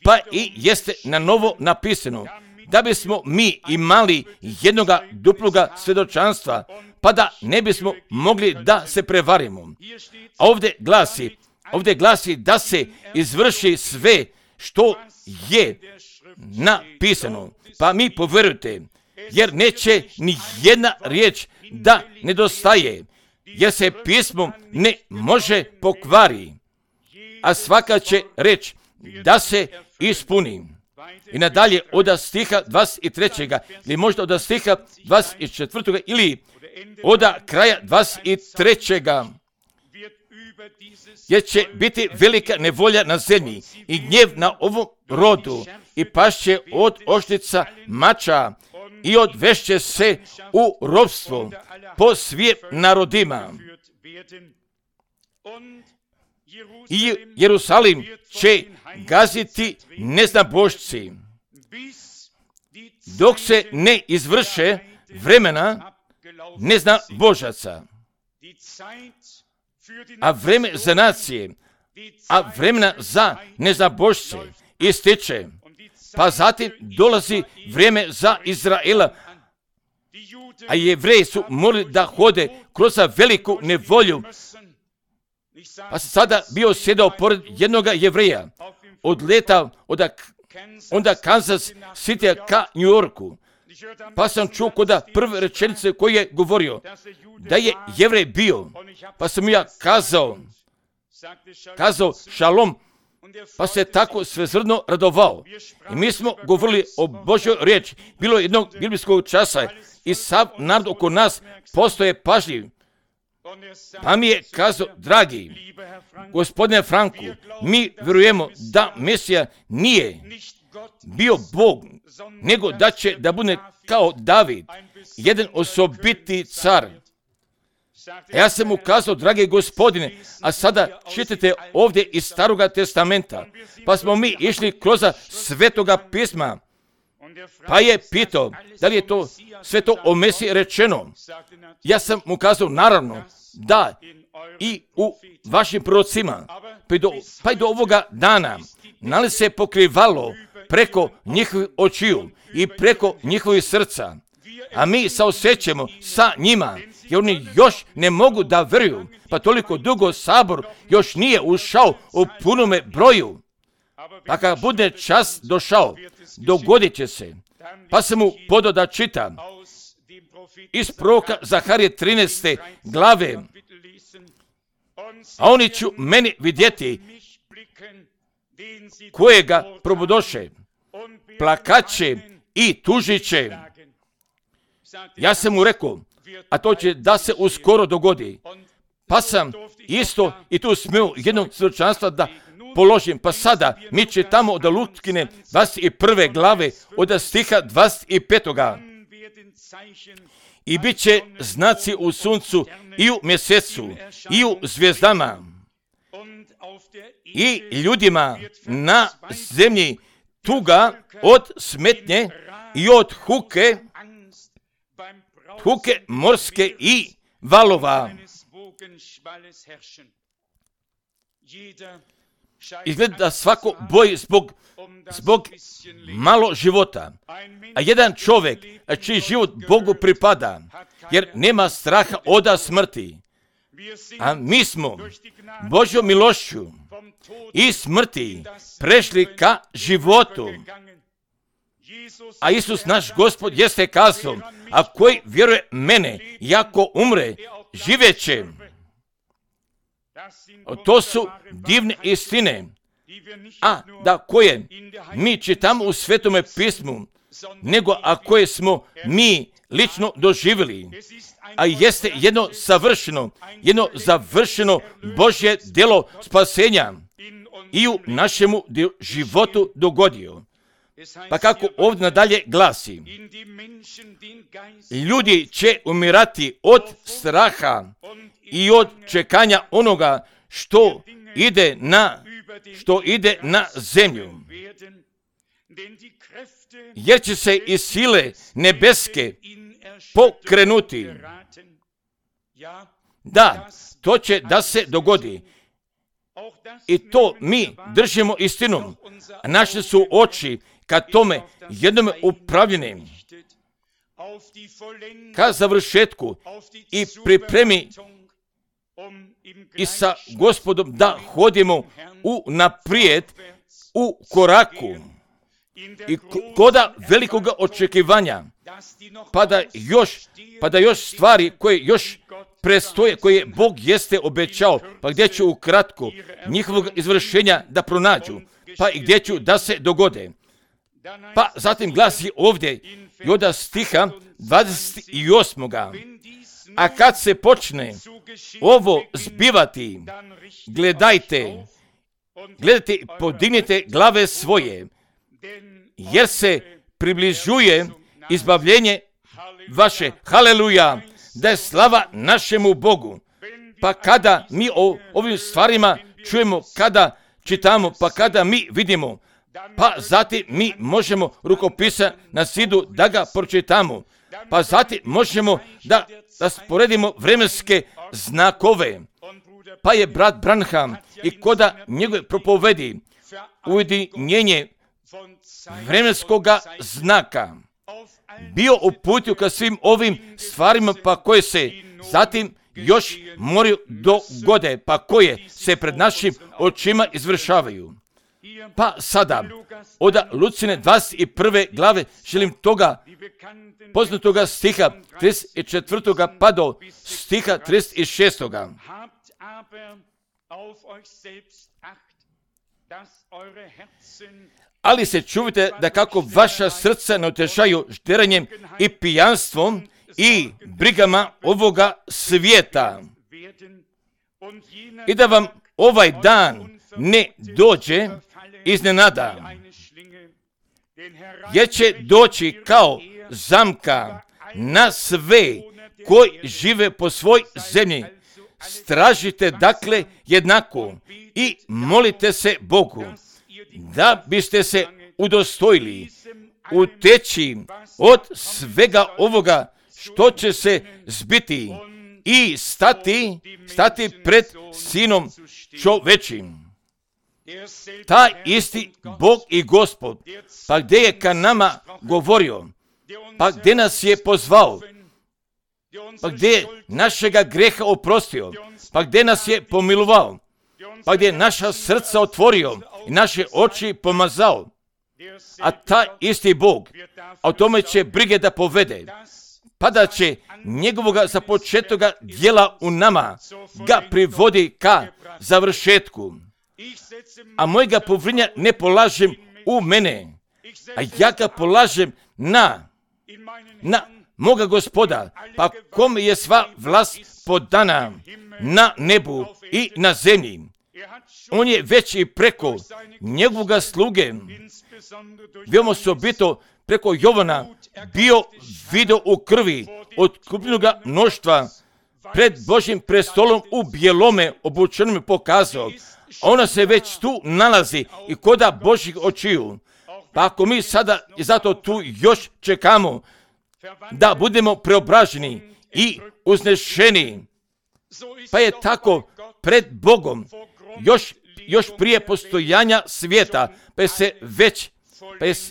pa i jeste na novo napisano, da bismo mi imali jednoga duploga svjedočanstva, pa da ne bismo mogli da se prevarimo. A ovdje glasi da se izvrši sve što je napisano. Pa mi povjerujte, jer neće ni jedna riječ da nedostaje, jer se pismo ne može pokvari, a svaka će reč da se ispuni. I nadalje od stiha 23. ili možda od stiha 24. ili od kraja 23. jer će biti velika nevolja na zemlji i gnjev na ovom rodu i pašće od oštrica mača i odvešće se u ropstvo po svim narodima. I Jerusalim će gaziti neznabošci dok se ne izvrše vremena neznabožaca, a vreme za nacije, a vremena za neznabošce ističe. Pa zatim dolazi vrijeme za Izraela, a Jevreji su morali da hode kroz veliku nevolju. Pa sam sada bio sjedao pored jednoga Jevreja, odletao onda Kansas City ka New Yorku. Pa sam čuo koda prve rečenice koje je govorio, da je Jevrej bio. Pa sam ja kazao šalom, pa se tako svezrdno radovao. I mi smo govorili o Božjoj riječi. Bilo je jednog biblijskog časa i sav narod oko nas postoje pažljiv. Pa mi je kazao, dragi gospodine Franku, mi vjerujemo da Mesija nije bio Bog, nego da će da bude kao David, jedan osobiti car. Ja sam mu kazao, dragi gospodine, a sada čitate ovdje iz Staroga testamenta, pa smo mi išli kroz Svetoga pisma, pa je pitao, da li je to sve to o Mesiji rečeno? Ja sam mu kazao, naravno, da, i u vašim prorocima, pa i do ovoga dana, nalazi se pokrivalo preko njihovih očiju i preko njihovih srca, a mi saosjećamo sa njima, jer oni još ne mogu da vjeruju, pa toliko dugo sabor još nije ušao u punome broju. Pa kad bude čas došao, dogodit će se. Pa sam mu podao da čita iz proroka Zaharije 13. glave, a oni ću meni vidjeti kojega probudoše, plakaće i tužiće. Ja sam mu rekao, a to će da se uskoro dogodi. Pa sam isto i tu smio jednog svjedočanstva da položim. Pa sada mi čitamo od Lutkine 21. glave od stiha 25. I bit će znaci u suncu i u mjesecu i u zvijezdama i ljudima na zemlji tuga od smetnje i od huke morske i valova. Izgleda da svako boji zbog malo života, a jedan čovjek čiji život Bogu pripada, jer nema straha od smrti. A mi smo Božjom milošću i smrti prešli ka životu. A Isus naš Gospod jeste kazao, a koji vjeruje mene, jako umre, živeće. To su divne istine, a da koje mi čitamo u Svetome pismu, nego a koje smo mi lično doživjeli, a jeste jedno završeno Božje djelo spasenja i u našemu životu dogodio. Pa kako ovdje nadalje glasi, ljudi će umirati od straha i od čekanja onoga što ide na zemlju, jer će se i sile nebeske pokrenuti. Da, to će da se dogodi. I to mi držimo istinom. Naše su oči ka tome jednome upravljene, ka završetku i pripremi i sa Gospodom da hodimo naprijed u koraku i koda velikoga očekivanja, pa da još stvari koje još prestoje, koje Bog jeste obećao, pa gdje će ukratko njihovog izvršenja da pronađu, pa i gdje će da se dogode. Pa zatim glasi ovdje i od stiha 28. A kad se počne ovo zbivati, gledajte i podignite glave svoje, jer se približuje izbavljenje vaše. Haleluja, da je slava našemu Bogu. Pa kada mi o ovim stvarima čujemo, kada čitamo, pa kada mi vidimo, pa zatim mi možemo rukopisa na zidu da ga pročitamo, pa zatim možemo da sporedimo vremenske znakove. Pa je brat Branham i koda njegove propovedi ujedinjenje vremenskoga znaka bio uputio ka svim ovim stvarima, pa koje se zatim još moraju dogode, pa koje se pred našim očima izvršavaju. Pa sada, od Lucine 21. glave želim toga poznatoga stiha 34. pa do stiha 36. Ali se čuvajte da kako vaša srca ne otežaju žderanjem i pijanstvom i brigama ovoga svijeta. I da vam ovaj dan ne dođe iznenada, jer će doći kao zamka na sve koji žive po svoj zemlji. Stražite dakle jednako i molite se Bogu, da biste se udostojili uteći od svega ovoga što će se zbiti i stati pred Sinom čovečim. Taj isti Bog i Gospod, pa gdje je ka nama govorio, pa gdje nas je pozvao, pa gdje je našega greha oprostio, pa gdje nas je pomilovao, pa gdje je naša srca otvorio i naše oči pomazao. A taj isti Bog, a o tome će brige da povede, pa da će njegovoga započetoga djela u nama ga privodi ka završetku. A mojega povrinja ne polažem u mene, a ja ga polažem na moga Gospoda, pa kome je sva vlast podana na nebu i na zemlji. On je već i preko njegovoga sluge, veoma osobito preko Jovana, bio video u krvi otkupljenoga mnoštva pred Božjim prestolom u bijelome obučenome pokazao. Ona se već tu nalazi i koda Božjih očiju. Pa ako mi sada i zato tu još čekamo da budemo preobraženi i uznešeni, pa je tako pred Bogom još prije postojanja svijeta, pa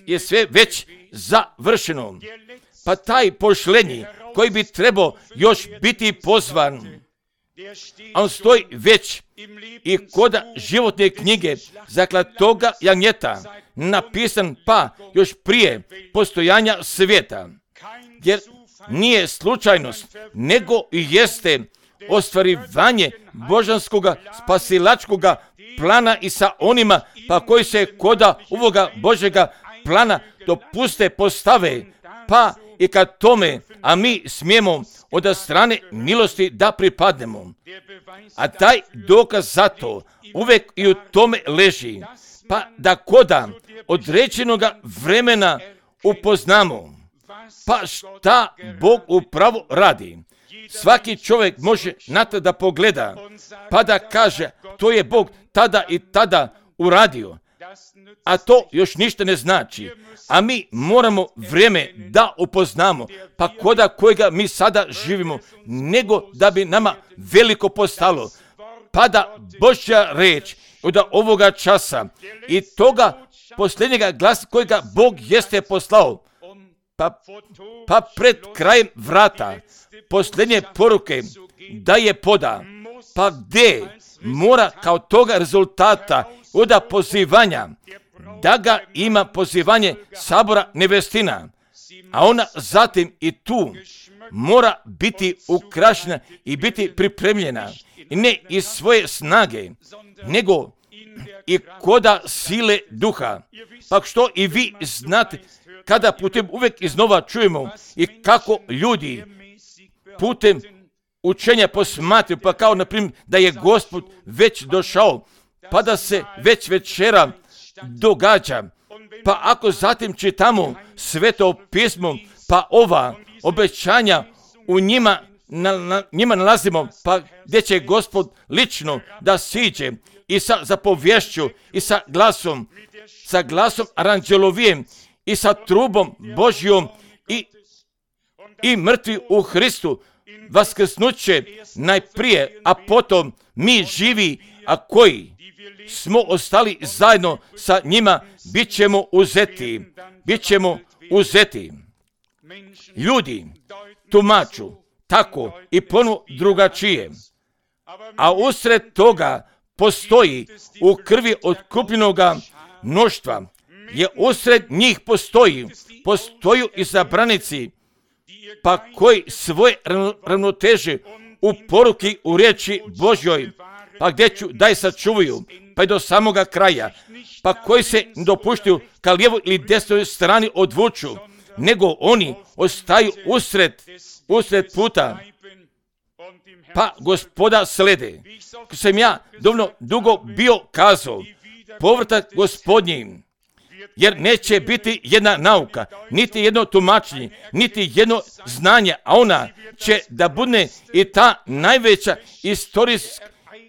je sve već završeno. Pa taj pošlenji koji bi trebao još biti pozvan, a on stoji već i koda životne knjige zaklatoga jagnjeta, napisan pa još prije postojanja svijeta. Jer nije slučajnost, nego i jeste ostvarivanje božanskoga spasilačkoga plana i sa onima pa koji se koda ovoga Božjega plana dopuste postave, pa i kad tome, a mi smijemo od strane milosti da pripadnemo. A taj dokaz za to uvijek i u tome leži, pa da koda određenoga vremena upoznamo, pa šta Bog upravo radi. Svaki čovjek može na to da pogleda, pa da kaže, to je Bog tada i tada uradio. A to još ništa ne znači. A mi moramo vrijeme da upoznamo, pa koda kojega mi sada živimo, nego da bi nama veliko postalo. Pa da Božja reč od ovoga časa i toga posljednjega glasa kojega Bog jeste poslao, pa pred krajem vrata posljednje poruke da je poda, pa gdje mora kao toga rezultata od pozivanja, da ga ima pozivanje sabora nevestina, a ona zatim i tu mora biti ukrašena i biti pripremljena, i ne iz svoje snage, nego i koda sile duha. Pa što i vi znate, kada putem uvijek iznova čujemo i kako ljudi putem učenja posmatraju, pa kao na primjer da je Gospod već došao, pa da se već večera događa. Pa ako zatim čitamo Sveto pismo, pa ova obećanja u njima nalazimo, pa gdje će Gospod lično da siđe i sa zapovješću i sa glasom aranđelovijem i sa trubom Božjom i mrtvi u Hristu vaskrsnuće najprije, a potom mi živi, a koji smo ostali zajedno sa njima, bit ćemo uzeti. Ljudi tumaču tako i ponovo drugačije, a usred toga postoji u krvi otkupljenoga mnoštva, je usred njih postoju izabranici, pa koji svoje ravnoteže u poruki u riječi Božjoj, pa gdje ću daj sačuvaju, pa i do samoga kraja, pa koji se ne dopuštaju ka lijevoj ili desnoj strani odvuču, nego oni ostaju usred puta, pa Gospoda slede. Ko sam ja dovoljno dugo bio kazao, povratak Gospodnji jer neće biti jedna nauka, niti jedno tumačenje, niti jedno znanje, a ona će da bude i ta najveća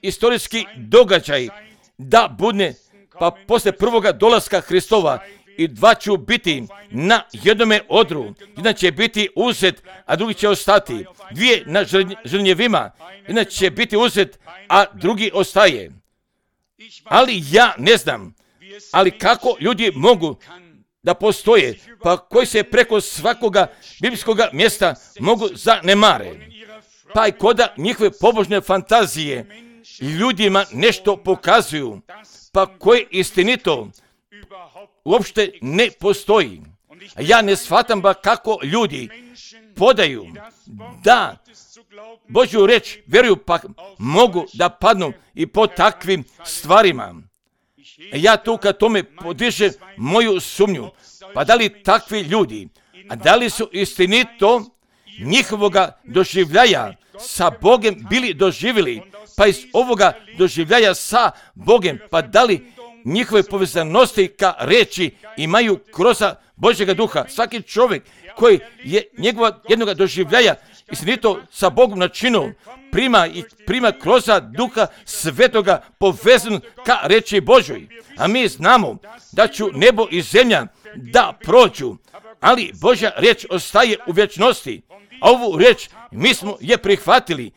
istorijski događaj, da bude pa posle prvoga dolaska Hristova, i dva će biti na jednome odru, jedan će biti uzet, a drugi će ostati, dvije na žrnjevima, jedan će biti uzet, a drugi ostaje. Ali ja ne znam, ali kako ljudi mogu da postoje, pa koji se preko svakoga biblijskog mjesta mogu zanemare, pa i koda njihove pobožne fantazije ljudima nešto pokazuju, pa koje istinito uopšte ne postoji. A ja ne shvatam ba kako ljudi podaju da Božju reč vjeruju, pa mogu da padnu i po takvim stvarima. Ja tu kad tome podižem moju sumnju, pa da li takvi ljudi, a da li su istinito njihovoga doživljaja sa Bogem bili doživjeli, pa iz ovoga doživljaja sa Bogem, pa da li njihove povezanosti ka reči imaju kroz Božjega duha. Svaki čovjek koji je njegova jednoga doživljaja istinito sa Bogom načinu prima kroz duha svetoga povezan ka reči Božoj. A mi znamo da će nebo i zemlja da prođu, ali Božja reč ostaje u vječnosti. A ovu reč mi smo je prihvatili,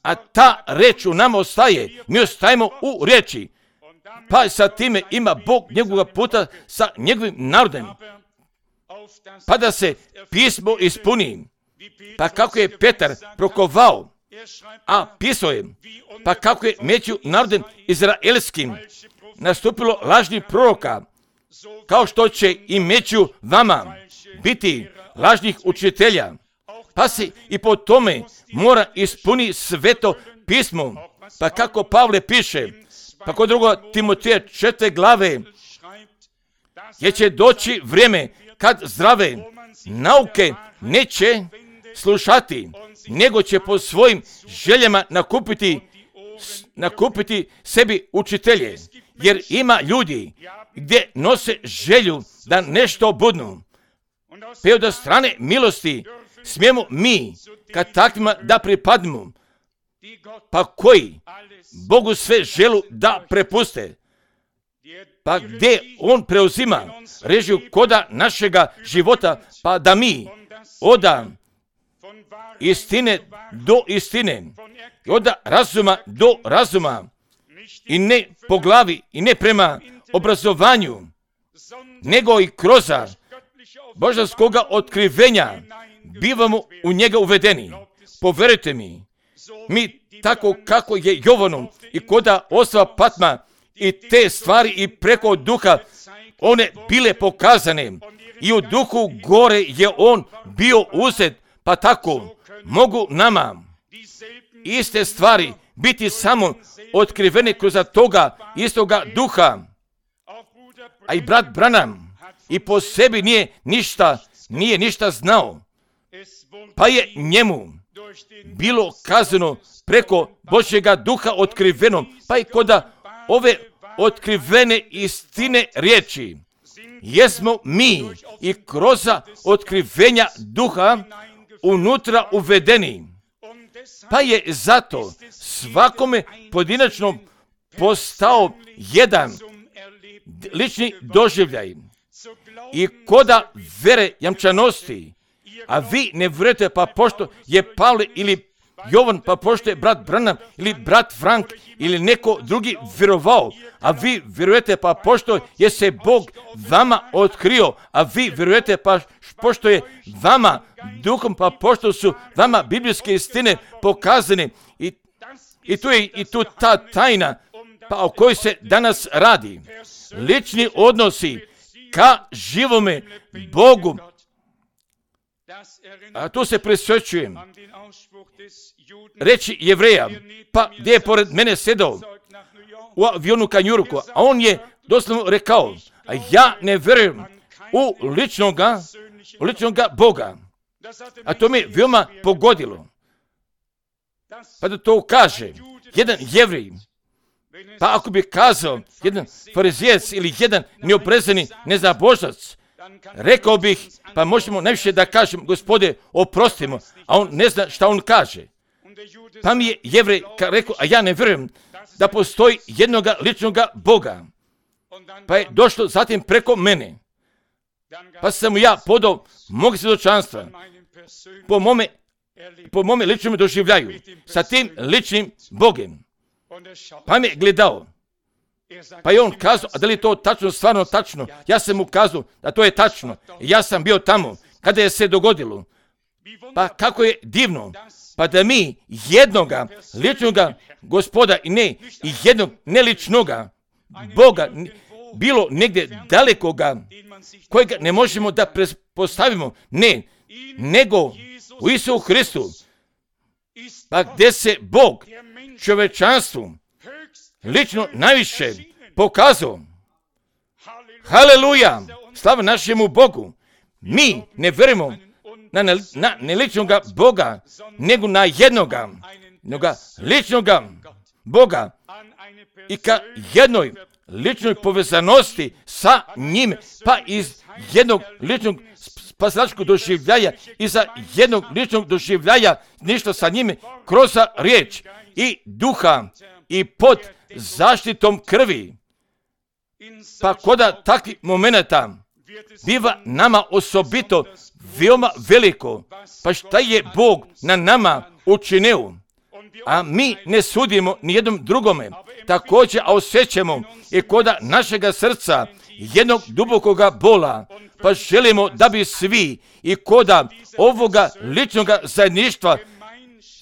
a ta reč u nama ostaje. Mi ostajemo u reči. Pa sa time ima Bog njegovog puta sa njegovim narodom. Pa da se pismo ispuni. Pa kako je Petar prokovao, a pisao je, pa kako je među narodom izraelskim nastupilo lažnih proroka, kao što će i među vama biti lažnih učitelja. Pa se i po tome mora ispuni sveto pismo. Pa kako Pavle piše, pa kod 2. Timoteja 4. glave, jer će doći vrijeme kad zdrave nauke neće slušati, nego će po svojim željama nakupiti sebi učitelje. Jer ima ljudi gdje nose želju da nešto budnu. Pa od strane milosti smijemo mi kad takvima da pripadnemo, pa koji Bogu sve želu da prepuste, pa gdje On preuzima režiju koda našega života, pa da mi oda istine do istine, i oda razuma do razuma, i ne po glavi, i ne prema obrazovanju, nego i kroz božanskoga otkrivenja bivamo u njega uvedeni. Poverujte mi tako kako je Jovanom i koda Osva Patma i te stvari i preko duha one bile pokazane, i u duhu gore je on bio uzet, pa tako mogu nama iste stvari biti samo otkrivene kroz toga istoga duha. A i brat Branham i po sebi nije ništa znao, pa je njemu bilo kazano preko Božjega duha otkriveno, pa i koda ove otkrivene istine riječi jesmo mi i kroz otkrivenja duha unutra uvedeni. Pa je zato svakome pojedinačno postao jedan lični doživljaj i koda vere jamčanosti. A vi ne vjerujete pa pošto je Pavle ili Jovan, pa pošto je brat Branham ili brat Frank ili neko drugi vjerovao, a vi vjerujete pa pošto je se Bog vama otkrio, a vi vjerujete pa pošto je vama duhom, pa pošto su vama biblijske istine pokazane, i tu je i tu ta tajna pa o kojoj se danas radi. Lični odnosi ka živome Bogu. A tu se prisjećujem reći Jevreja, pa gdje je pored mene sedao u avionu ka New Yorku, a on je doslovno rekao, a ja ne vjerujem u ličnoga Boga. A to me veoma pogodilo. Pa da to kaže jedan Jevrej, Pa ako bi kazao jedan farizijac ili jedan neobrezani neznabožac, rekao bih, pa možemo najviše da kažem, Gospode, oprostimo, a on ne zna šta on kaže. Pa mi je Jevrej rekao, a ja ne vjerujem da postoji jednoga ličnoga Boga. Pa je došlo zatim preko mene. Pa sam mu ja podao mog svjedočanstva po mome ličnom doživljaju sa tim ličnim Bogem. Pa me gledao. Pa je on kazao, a da li je to tačno, stvarno tačno? Ja sam mu kazao da to je tačno. Ja sam bio tamo kada je se dogodilo. Pa kako je divno. Pa da mi jednoga ličnoga Gospoda i ne i jednog neličnoga Boga, bilo negdje dalekoga, kojega ne možemo da postavimo, ne, nego u Isusu Hristu, pa gdje se Bog čovečanstvu lično najviše pokazao. Haleluja, slava našemu Bogu. Mi ne vjerujemo na neličnoga Boga, nego na jednoga ličnoga Boga i ka jednoj ličnoj povezanosti sa njim, pa iz jednog ličnog spasilačkog doživljaja i za jednog ličnog doživljaja ništa sa njime kroz riječ i duha i pod zaštitom krvi. Pa koda takvih momenata biva nama osobito veoma veliko, pa šta je Bog na nama učinio, a mi ne sudimo nijednom drugome, također osjećamo i koda našega srca jednog dubokoga bola, pa želimo da bi svi i koda ovoga ličnoga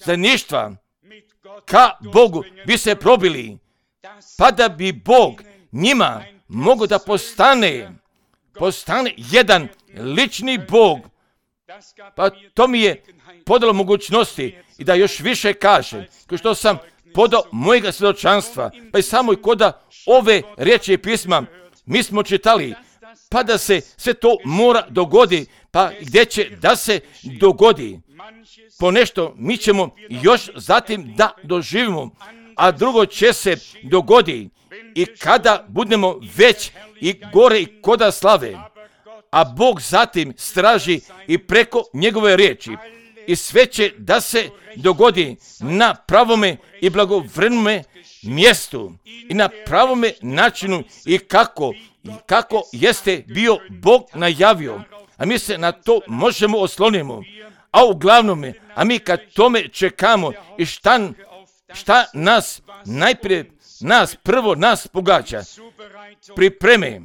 zajedništva ka Bogu bi se probili, pa da bi Bog njima mogao da postane jedan lični Bog. Pa to mi je podalo mogućnosti i da još više kaže, kao što sam podao mojega svjedočanstva, pa i samo i koda ove riječi pisma mi smo čitali, pa da se sve to mora dogodi, pa gdje će da se dogodi. Ponešto mi ćemo još zatim da doživimo, a drugo će se dogodi i kada budemo već i gore i koda slave, a Bog zatim straži i preko njegove riječi. I sve će da se dogodi na pravome i blagovremenome mjestu i na pravome načinu i kako jeste bio Bog najavio. A mi se na to možemo oslonimo. A uglavnom, a mi kad tome čekamo i šta nas najprije prvo nas pogađa, pripreme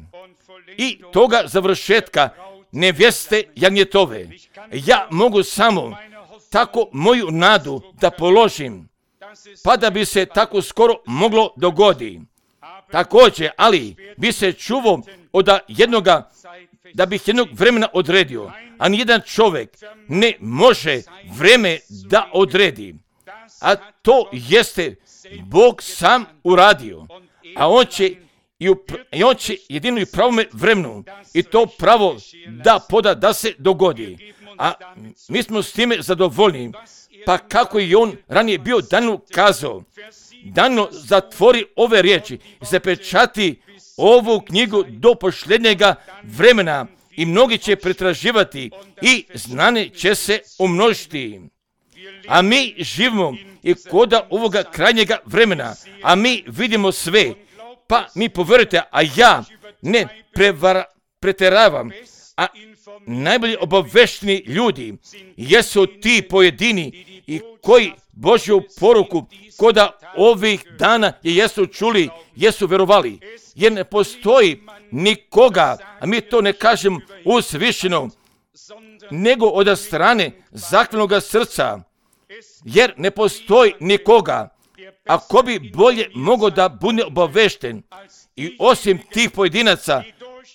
i toga završetka nevjeste jagnjetove. Ja mogu samo tako moju nadu da položim, pa da bi se tako skoro moglo dogodi. Također, ali bi se čuvao od jednoga, da bih jednog vremena odredio, a nijedan čovjek ne može vreme da odredi. A to jeste Bog sam uradio, a on će jedino i pravome vremenu i to pravo da poda da se dogodi. A mi smo s time zadovoljni, pa kako je on ranije bio Danielu kazao, Daniel zatvori ove riječi i zapečati ovu knjigu do posljednjega vremena i mnogi će pretraživati i znanje će se umnožiti. A mi živimo i koda ovoga krajnjega vremena, a mi vidimo sve, pa mi povjerujte, a ja ne preteravam, a najbolji obavešteni ljudi jesu ti pojedini i koji Božju poruku koda ovih dana jesu čuli, jesu vjerovali. Jer ne postoji nikoga, a mi to ne kažem uzvišeno, nego od strane zakljenoga srca. Jer ne postoji nikoga, a ko bi bolje mogao da bude obavešten. I osim tih pojedinaca,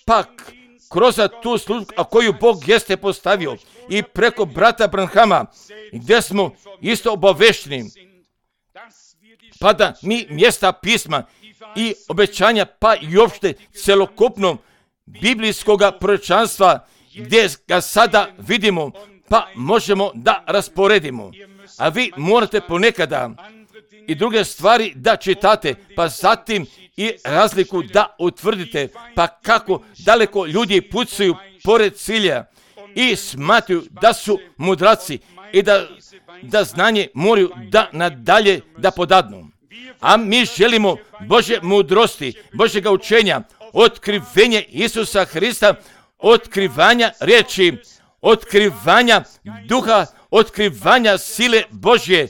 pak kroz tu službu, a koju Bog jeste postavio i preko brata Branhama, gdje smo isto obavešteni, pa da mi mjesta pisma i obećanja, pa i uopšte celokupno biblijskoga proročanstva, gdje ga sada vidimo, pa možemo da rasporedimo. A vi morate ponekada i druge stvari da čitate, pa zatim i razliku da utvrdite, pa kako daleko ljudi pucaju pored cilja i smatruju da su mudraci i da znanje moraju da nadalje da podadnu. A mi želimo Božje mudrosti, Božjega učenja, otkrivenje Isusa Hrista, otkrivanja riječi, otkrivanja duha, otkrivanja sile Božje.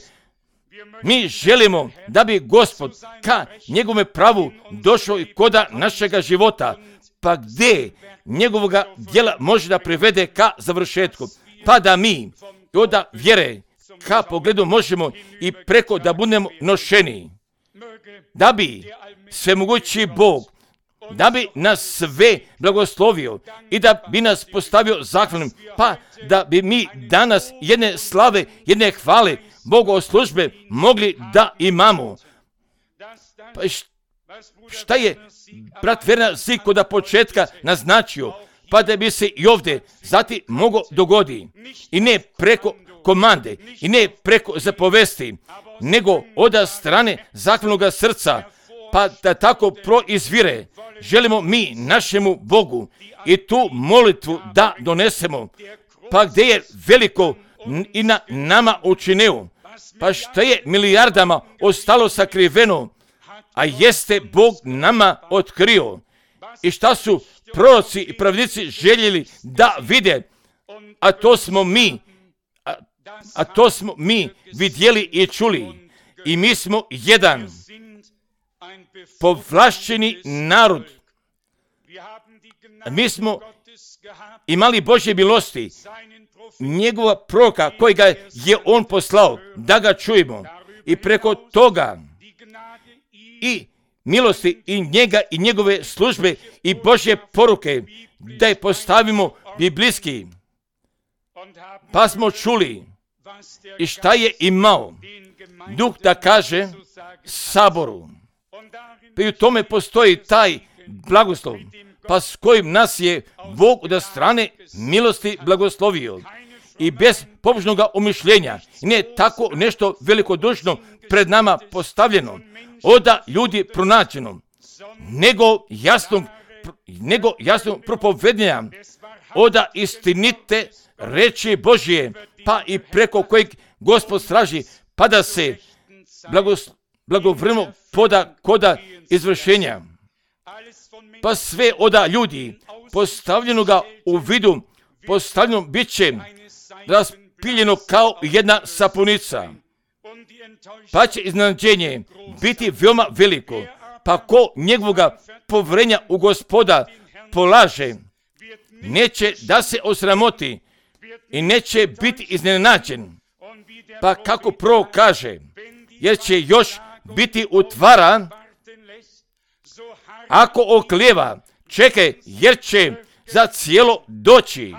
Mi želimo da bi Gospod ka njegovome pravu došao i koda našega života, pa gdje njegovoga djela može da privede ka završetku, pa da mi od vjere ka pogledu možemo i preko da budemo nošeni, da bi svemogući Bog, da bi nas sve blagoslovio i da bi nas postavio zahvalnim, pa da bi mi danas jedne slave, jedne hvale, bogoslužbe mogli da imamo. Pa šta je brat Verna Zik od početka naznačio, pa da bi se i ovdje zati mogo dogodi, i ne preko komande, i ne preko zapovesti, nego od strane zahvalnog srca, pa da tako proizvire. Želimo mi našemu Bogu i tu molitvu da donesemo, pa gdje je veliko i na nama učinio, pa što je milijardama ostalo sakriveno, a jeste Bog nama otkrio, i šta su proroci i pravnici željeli da vide, a to smo mi vidjeli i čuli, i mi smo jedan povlašćeni narod. Mi smo imali Božje milosti, njegova proroka kojega je on poslao, da ga čujemo, i preko toga i milosti i njega i njegove službe i Božje poruke, da je postavimo biblijski. Pa smo čuli i šta je imao Duh da kaže saboru. Pa i u tome postoji taj blagoslov, pa s kojim nas je Bog od strane milosti blagoslovio. I bez pobožnoga umišljenja, ne tako nešto velikodušno pred nama postavljeno, oda ljudi pronađeno, nego jasno propovednja, oda istinite reči Božje, pa i preko kojeg Gospod straži, pa da se blagovremeno poda koda izvršenja. Pa sve oda ljudi postavljenoga u vidu, postavljeno bit će raspiljeno kao jedna sapunica, pa će iznenađenje biti veoma veliko, pa ko njegovoga povrenja u Gospoda polaže, neće da se osramoti i neće biti iznenađen. Pa kako prorok kaže, jer će još biti utvaran, ako oklijeva, čekaj, jer će za cijelo doći.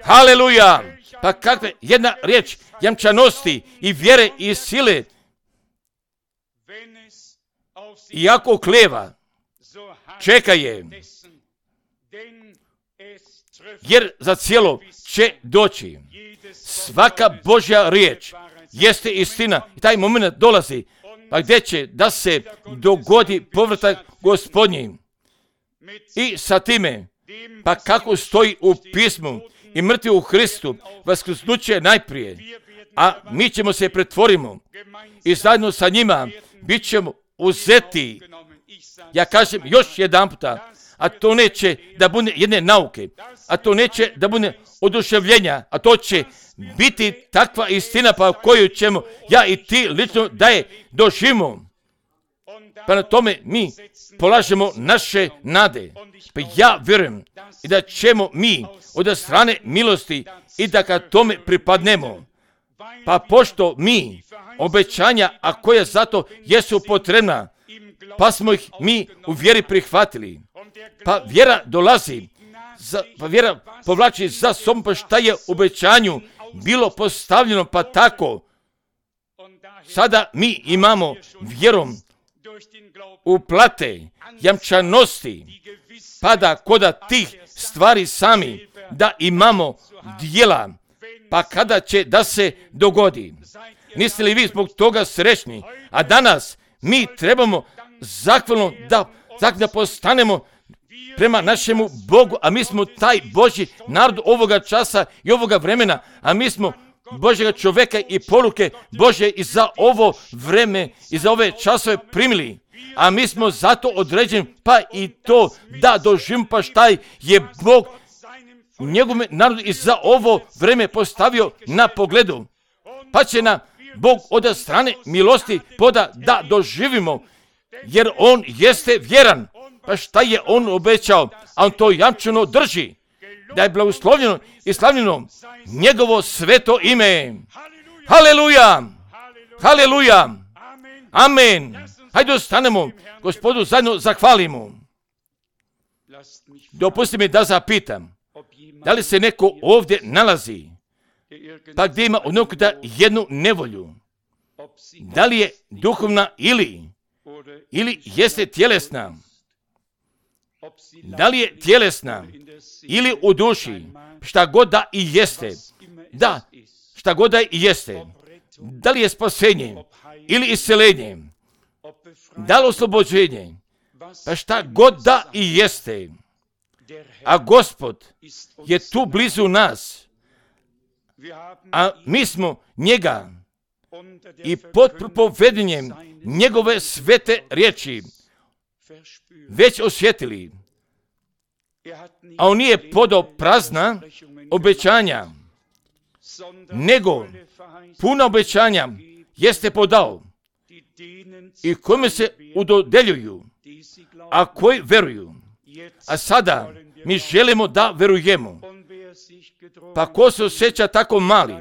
Haleluja! Pa kakva jedna riječ jamčanosti i vjere i sile. I ako oklijeva, čekaj je, jer za cijelo će doći. Svaka Božja riječ jeste istina i taj moment dolazi, pa gdje će da se dogodi povratak Gospodnji. I sa time, pa kako stoji u pismu, i mrtvi u Hristu, vaskrsnuće najprije, a mi ćemo se pretvorimo i zajedno sa njima bit ćemo uzeti. Ja kažem još jedan puta, a to neće da bude jedne nauke, a to neće da bude oduševljenja, a to će biti takva istina pa koju ćemo ja i ti lično da je doživimo. Pa na tome mi polažemo naše nade. Pa ja vjerujem i da ćemo mi od strane milosti i da kad tome pripadnemo. Pa pošto mi obećanja, a koja zato jesu potrebna, pa smo ih mi u vjeri prihvatili. Pa vjera dolazi, pa vjera povlači za sobom, pa šta je obećanju bilo postavljeno, pa tako. Sada mi imamo vjerom uplate, jamčanosti, pa da koda tih stvari sami da imamo djela, pa kada će da se dogodi. Niste li vi zbog toga srećni? A danas mi trebamo zahvalno da postanemo prema našemu Bogu, a mi smo taj Božji narod ovoga časa i ovoga vremena, a mi smo Božjega čovjeka i poruke Božje i za ovo vreme i za ove časove primili. A mi smo zato određeni, pa i to da doživimo pa šta je Bog njegove narodu i za ovo vreme postavio na pogledu. Pa će nam Bog od strane milosti poda da doživimo, jer On jeste vjeran. Pa šta je On obećao, a On to jamčeno drži. Da je blagoslovljeno i slavljeno njegovo sveto ime. Haleluja! Haleluja! Amen! Hajde ostanemo, Gospodu zajedno zahvalimo. Dopusti mi da zapitam, da li se neko ovdje nalazi, pa gdje ima da jednu nevolju? Da li je duhovna ili jeste tjelesna? Da li je tjelesna ili u duši? Šta god da i jeste. Da, šta god da i jeste. Da li je spasenje ili isceljenje? Da li oslobođenje? Pa šta god da i jeste. A Gospod je tu blizu nas. A mi smo njega i pod propovedanjem njegove svete riječi već osjetili. A on nije podao prazna obećanja, nego puna obećanja jeste podao i kome se udodeljuju, a koji veruju. A sada mi želimo da verujemo. Pa ko se osjeća tako mali,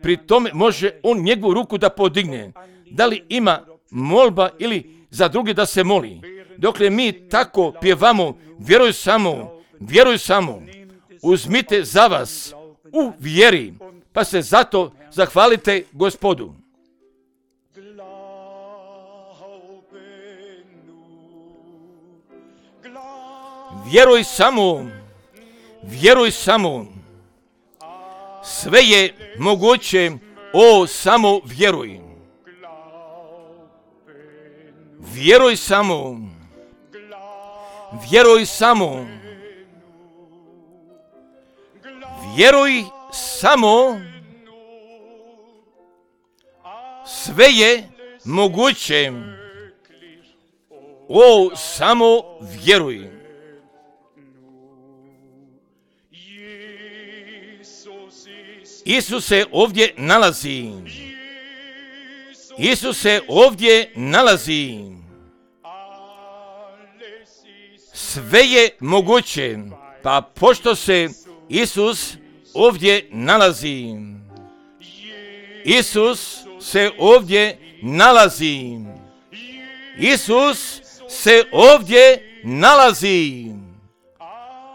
pri tome može on njegovu ruku da podigne. Da li ima molba ili za druge da se moli? Dokle mi tako pjevamo, vjeruj samo, uzmite za vas u vjeri, pa se zato zahvalite Gospodu. Vjeruj samo, sve je moguće, samo vjeruj. Vjeruj samo, vjeruj samo, sve je moguće, samo vjeruj. Isus se ovdje nalazi. Sve je moguće, pa pošto se Isus ovdje nalazi. Isus se ovdje nalazi.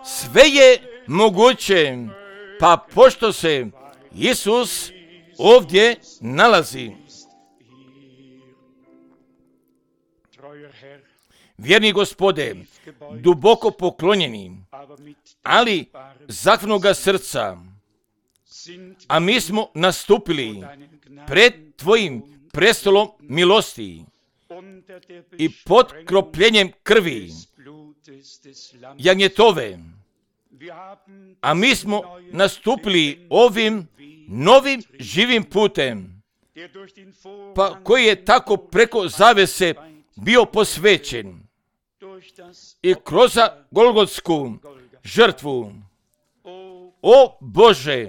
Sve je moguće, pa pošto se Isus ovdje nalazi. Vjerni Gospode, duboko poklonjeni, ali zahvalnoga srca, a mi smo nastupili pred Tvojim prestolom milosti i pod kropljenjem krvi jagnjetove, a mi smo nastupili ovim novim živim putem, pa koji je tako preko zavese bio posvećen i kroz Golgotsku žrtvu. O Bože,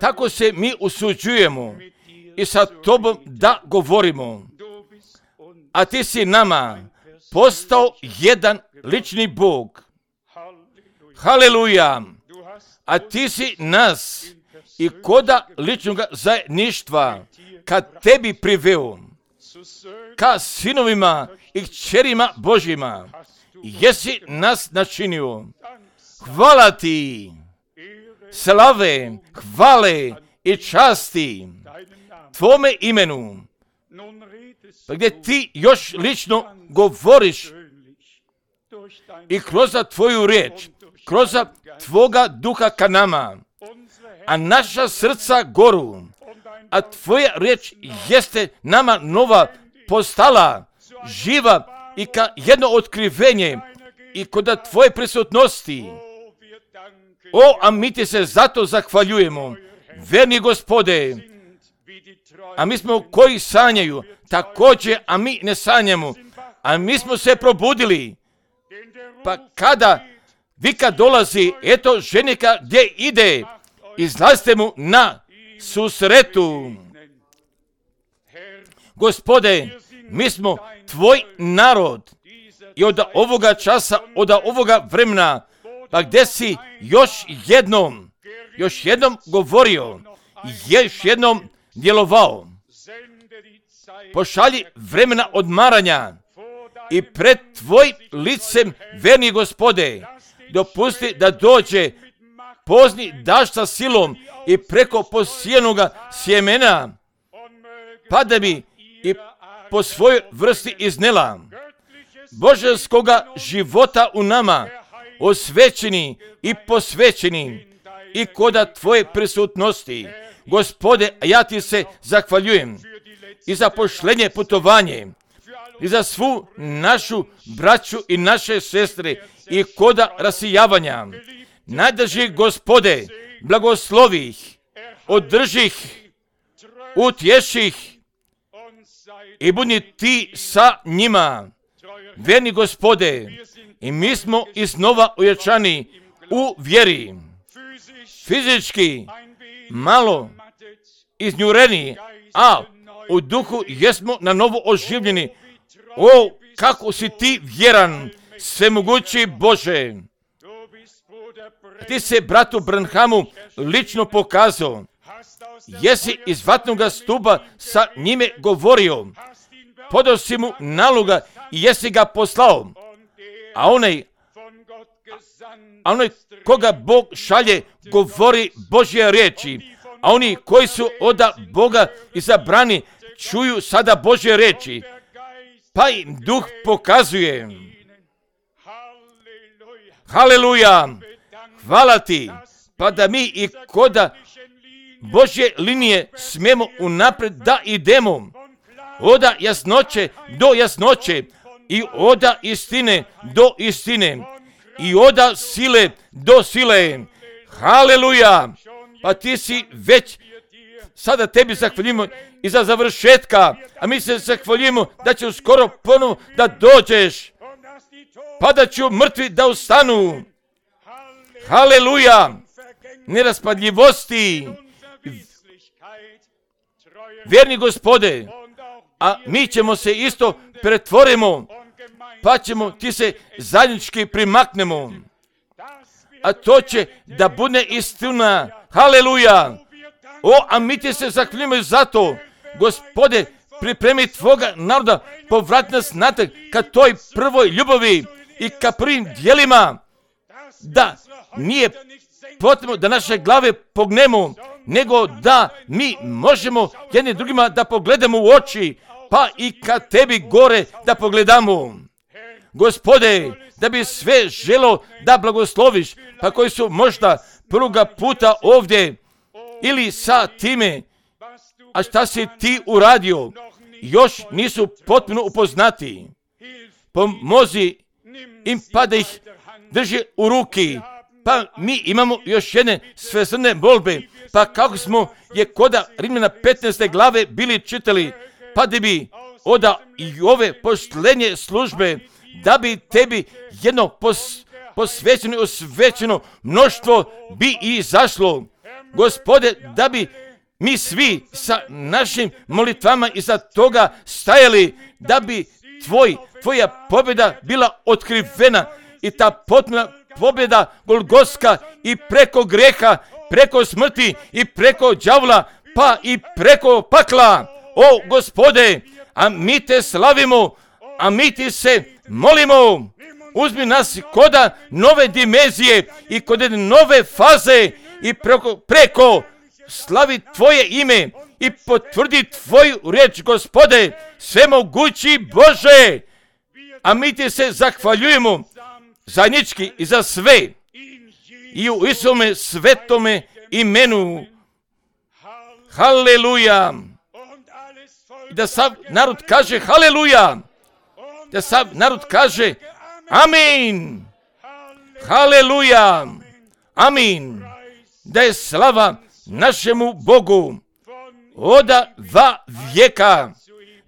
tako se mi usuđujemo i sa Tobom da govorimo, a Ti si nama postao jedan lični Bog. Haleluja! A Ti si nas i koda ličnog zajedništva kad Tebi priveo, ka sinovima i kćerima Božjima, jesi nas načinio. Hvala Ti, slave, hvale i časti Tvome imenu, pa gdje Ti još lično govoriš i kroz Tvoju riječ, kroz Tvoga duha ka nama, a naša srca goru, a tvoja riječ jeste nama nova postala, živa i ka jedno otkrivenje i kod tvoje prisutnosti. A mi ti se zato zahvaljujemo, verni Gospode. A mi smo koji sanjaju, također, a mi ne sanjamo, a mi smo se probudili. Pa kada vika dolazi, eto ženika gdje ide, izlazite mu na susretu. Gospode, mi smo tvoj narod i od ovoga časa, od ovoga vremena, pa gdje si još jednom govorio, još jednom djelovao. Pošalji vremena odmaranja i pred tvoj licem, verni Gospode, dopusti da dođe pozni daš sa silom i preko posijenoga sjemena, pa da bi i po svojoj vrsti iznela božanskoga života u nama, osvećeni i posvećeni i koda tvoje prisutnosti. Gospode, ja ti se zahvaljujem i za pošlenje putovanje i za svu našu braću i naše sestre i koda rasijavanja. Najdrži Gospode, blagoslovi ih, održi ih, utješi ih i budi ti sa njima. Verni Gospode, i mi smo iznova ojačani u vjeri, fizički malo iznjureni, a u duhu jesmo na novo oživljeni. Kako si ti vjeran, svemogući Bože. Ti se bratu Branhamu lično pokazao. Jesi iz vatnoga stupa sa njime govorio. Podao si mu naloga i jesi ga poslao. A onaj koga Bog šalje govori Božje riječi. A oni koji su od Boga izabrani čuju sada Božje riječi. Pa im duh pokazuje. Haleluja! Hvala ti, pa da mi i koda Božje linije smijemo unaprijed da idemo. Oda jasnoće do jasnoće i oda istine do istine i oda sile do sile. Haleluja! Pa ti si već, sada tebi zahvaljujemo i za završetka, a mi se zahvaljujemo da će uskoro ponovo da dođeš, pa da ću mrtvi da ustanu. Haleluja! Neraspadljivosti, vjerni Gospode, a mi ćemo se isto pretvorimo, pa ćemo ti se zajednički primaknemo. A to će da bude istina. Haleluja! A mi ti se zahvaljujemo za to. Gospode, pripremi tvoga naroda, povrati nas natrag ka toj prvoj ljubavi i ka prvim djelima, da nije potrebno da naše glave pognemo, nego da mi možemo jedni drugima da pogledamo u oči, pa i ka tebi gore da pogledamo. Gospode, da bi sve želo da blagosloviš, pa koji su možda prvoga puta ovdje ili sa time, a šta si ti uradio, još nisu potpuno upoznati. Pomozi im pa da ih drži u ruki. Pa mi imamo još jedne svesrdne molbe, pa kako smo je koda Rimljana 15. glave bili čitali, pa da bi oda i ove poštenje službe, da bi tebi jedno posvećeno i osvećeno mnoštvo bi izašlo. Gospode, da bi mi svi sa našim molitvama iza toga stajali, da bi tvoja pobjeda bila otkrivena i ta potpuna pobjeda Golgotska i preko greha, preko smrti i preko đavla, pa i preko pakla. O Gospode, a mi te slavimo, a mi ti se molimo. Uzmi nas koda nove dimenzije i kod nove faze i preko slavi tvoje ime i potvrdi tvoju riječ, Gospode, svemogući Bože. A mi ti se zahvaljujemo zajednički i za sve i u Isome svetome imenu. Haleluja. Da sav narod kaže haleluja. Da sav narod kaže amin. Haleluja. Amin. Da je slava našemu Bogu od va vijeka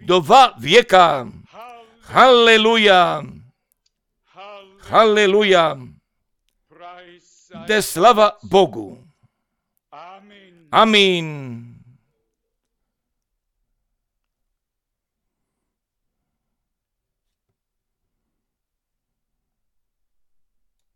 do va vijeka. Haleluja. Haleluja. Da je slava Bogu. Amin.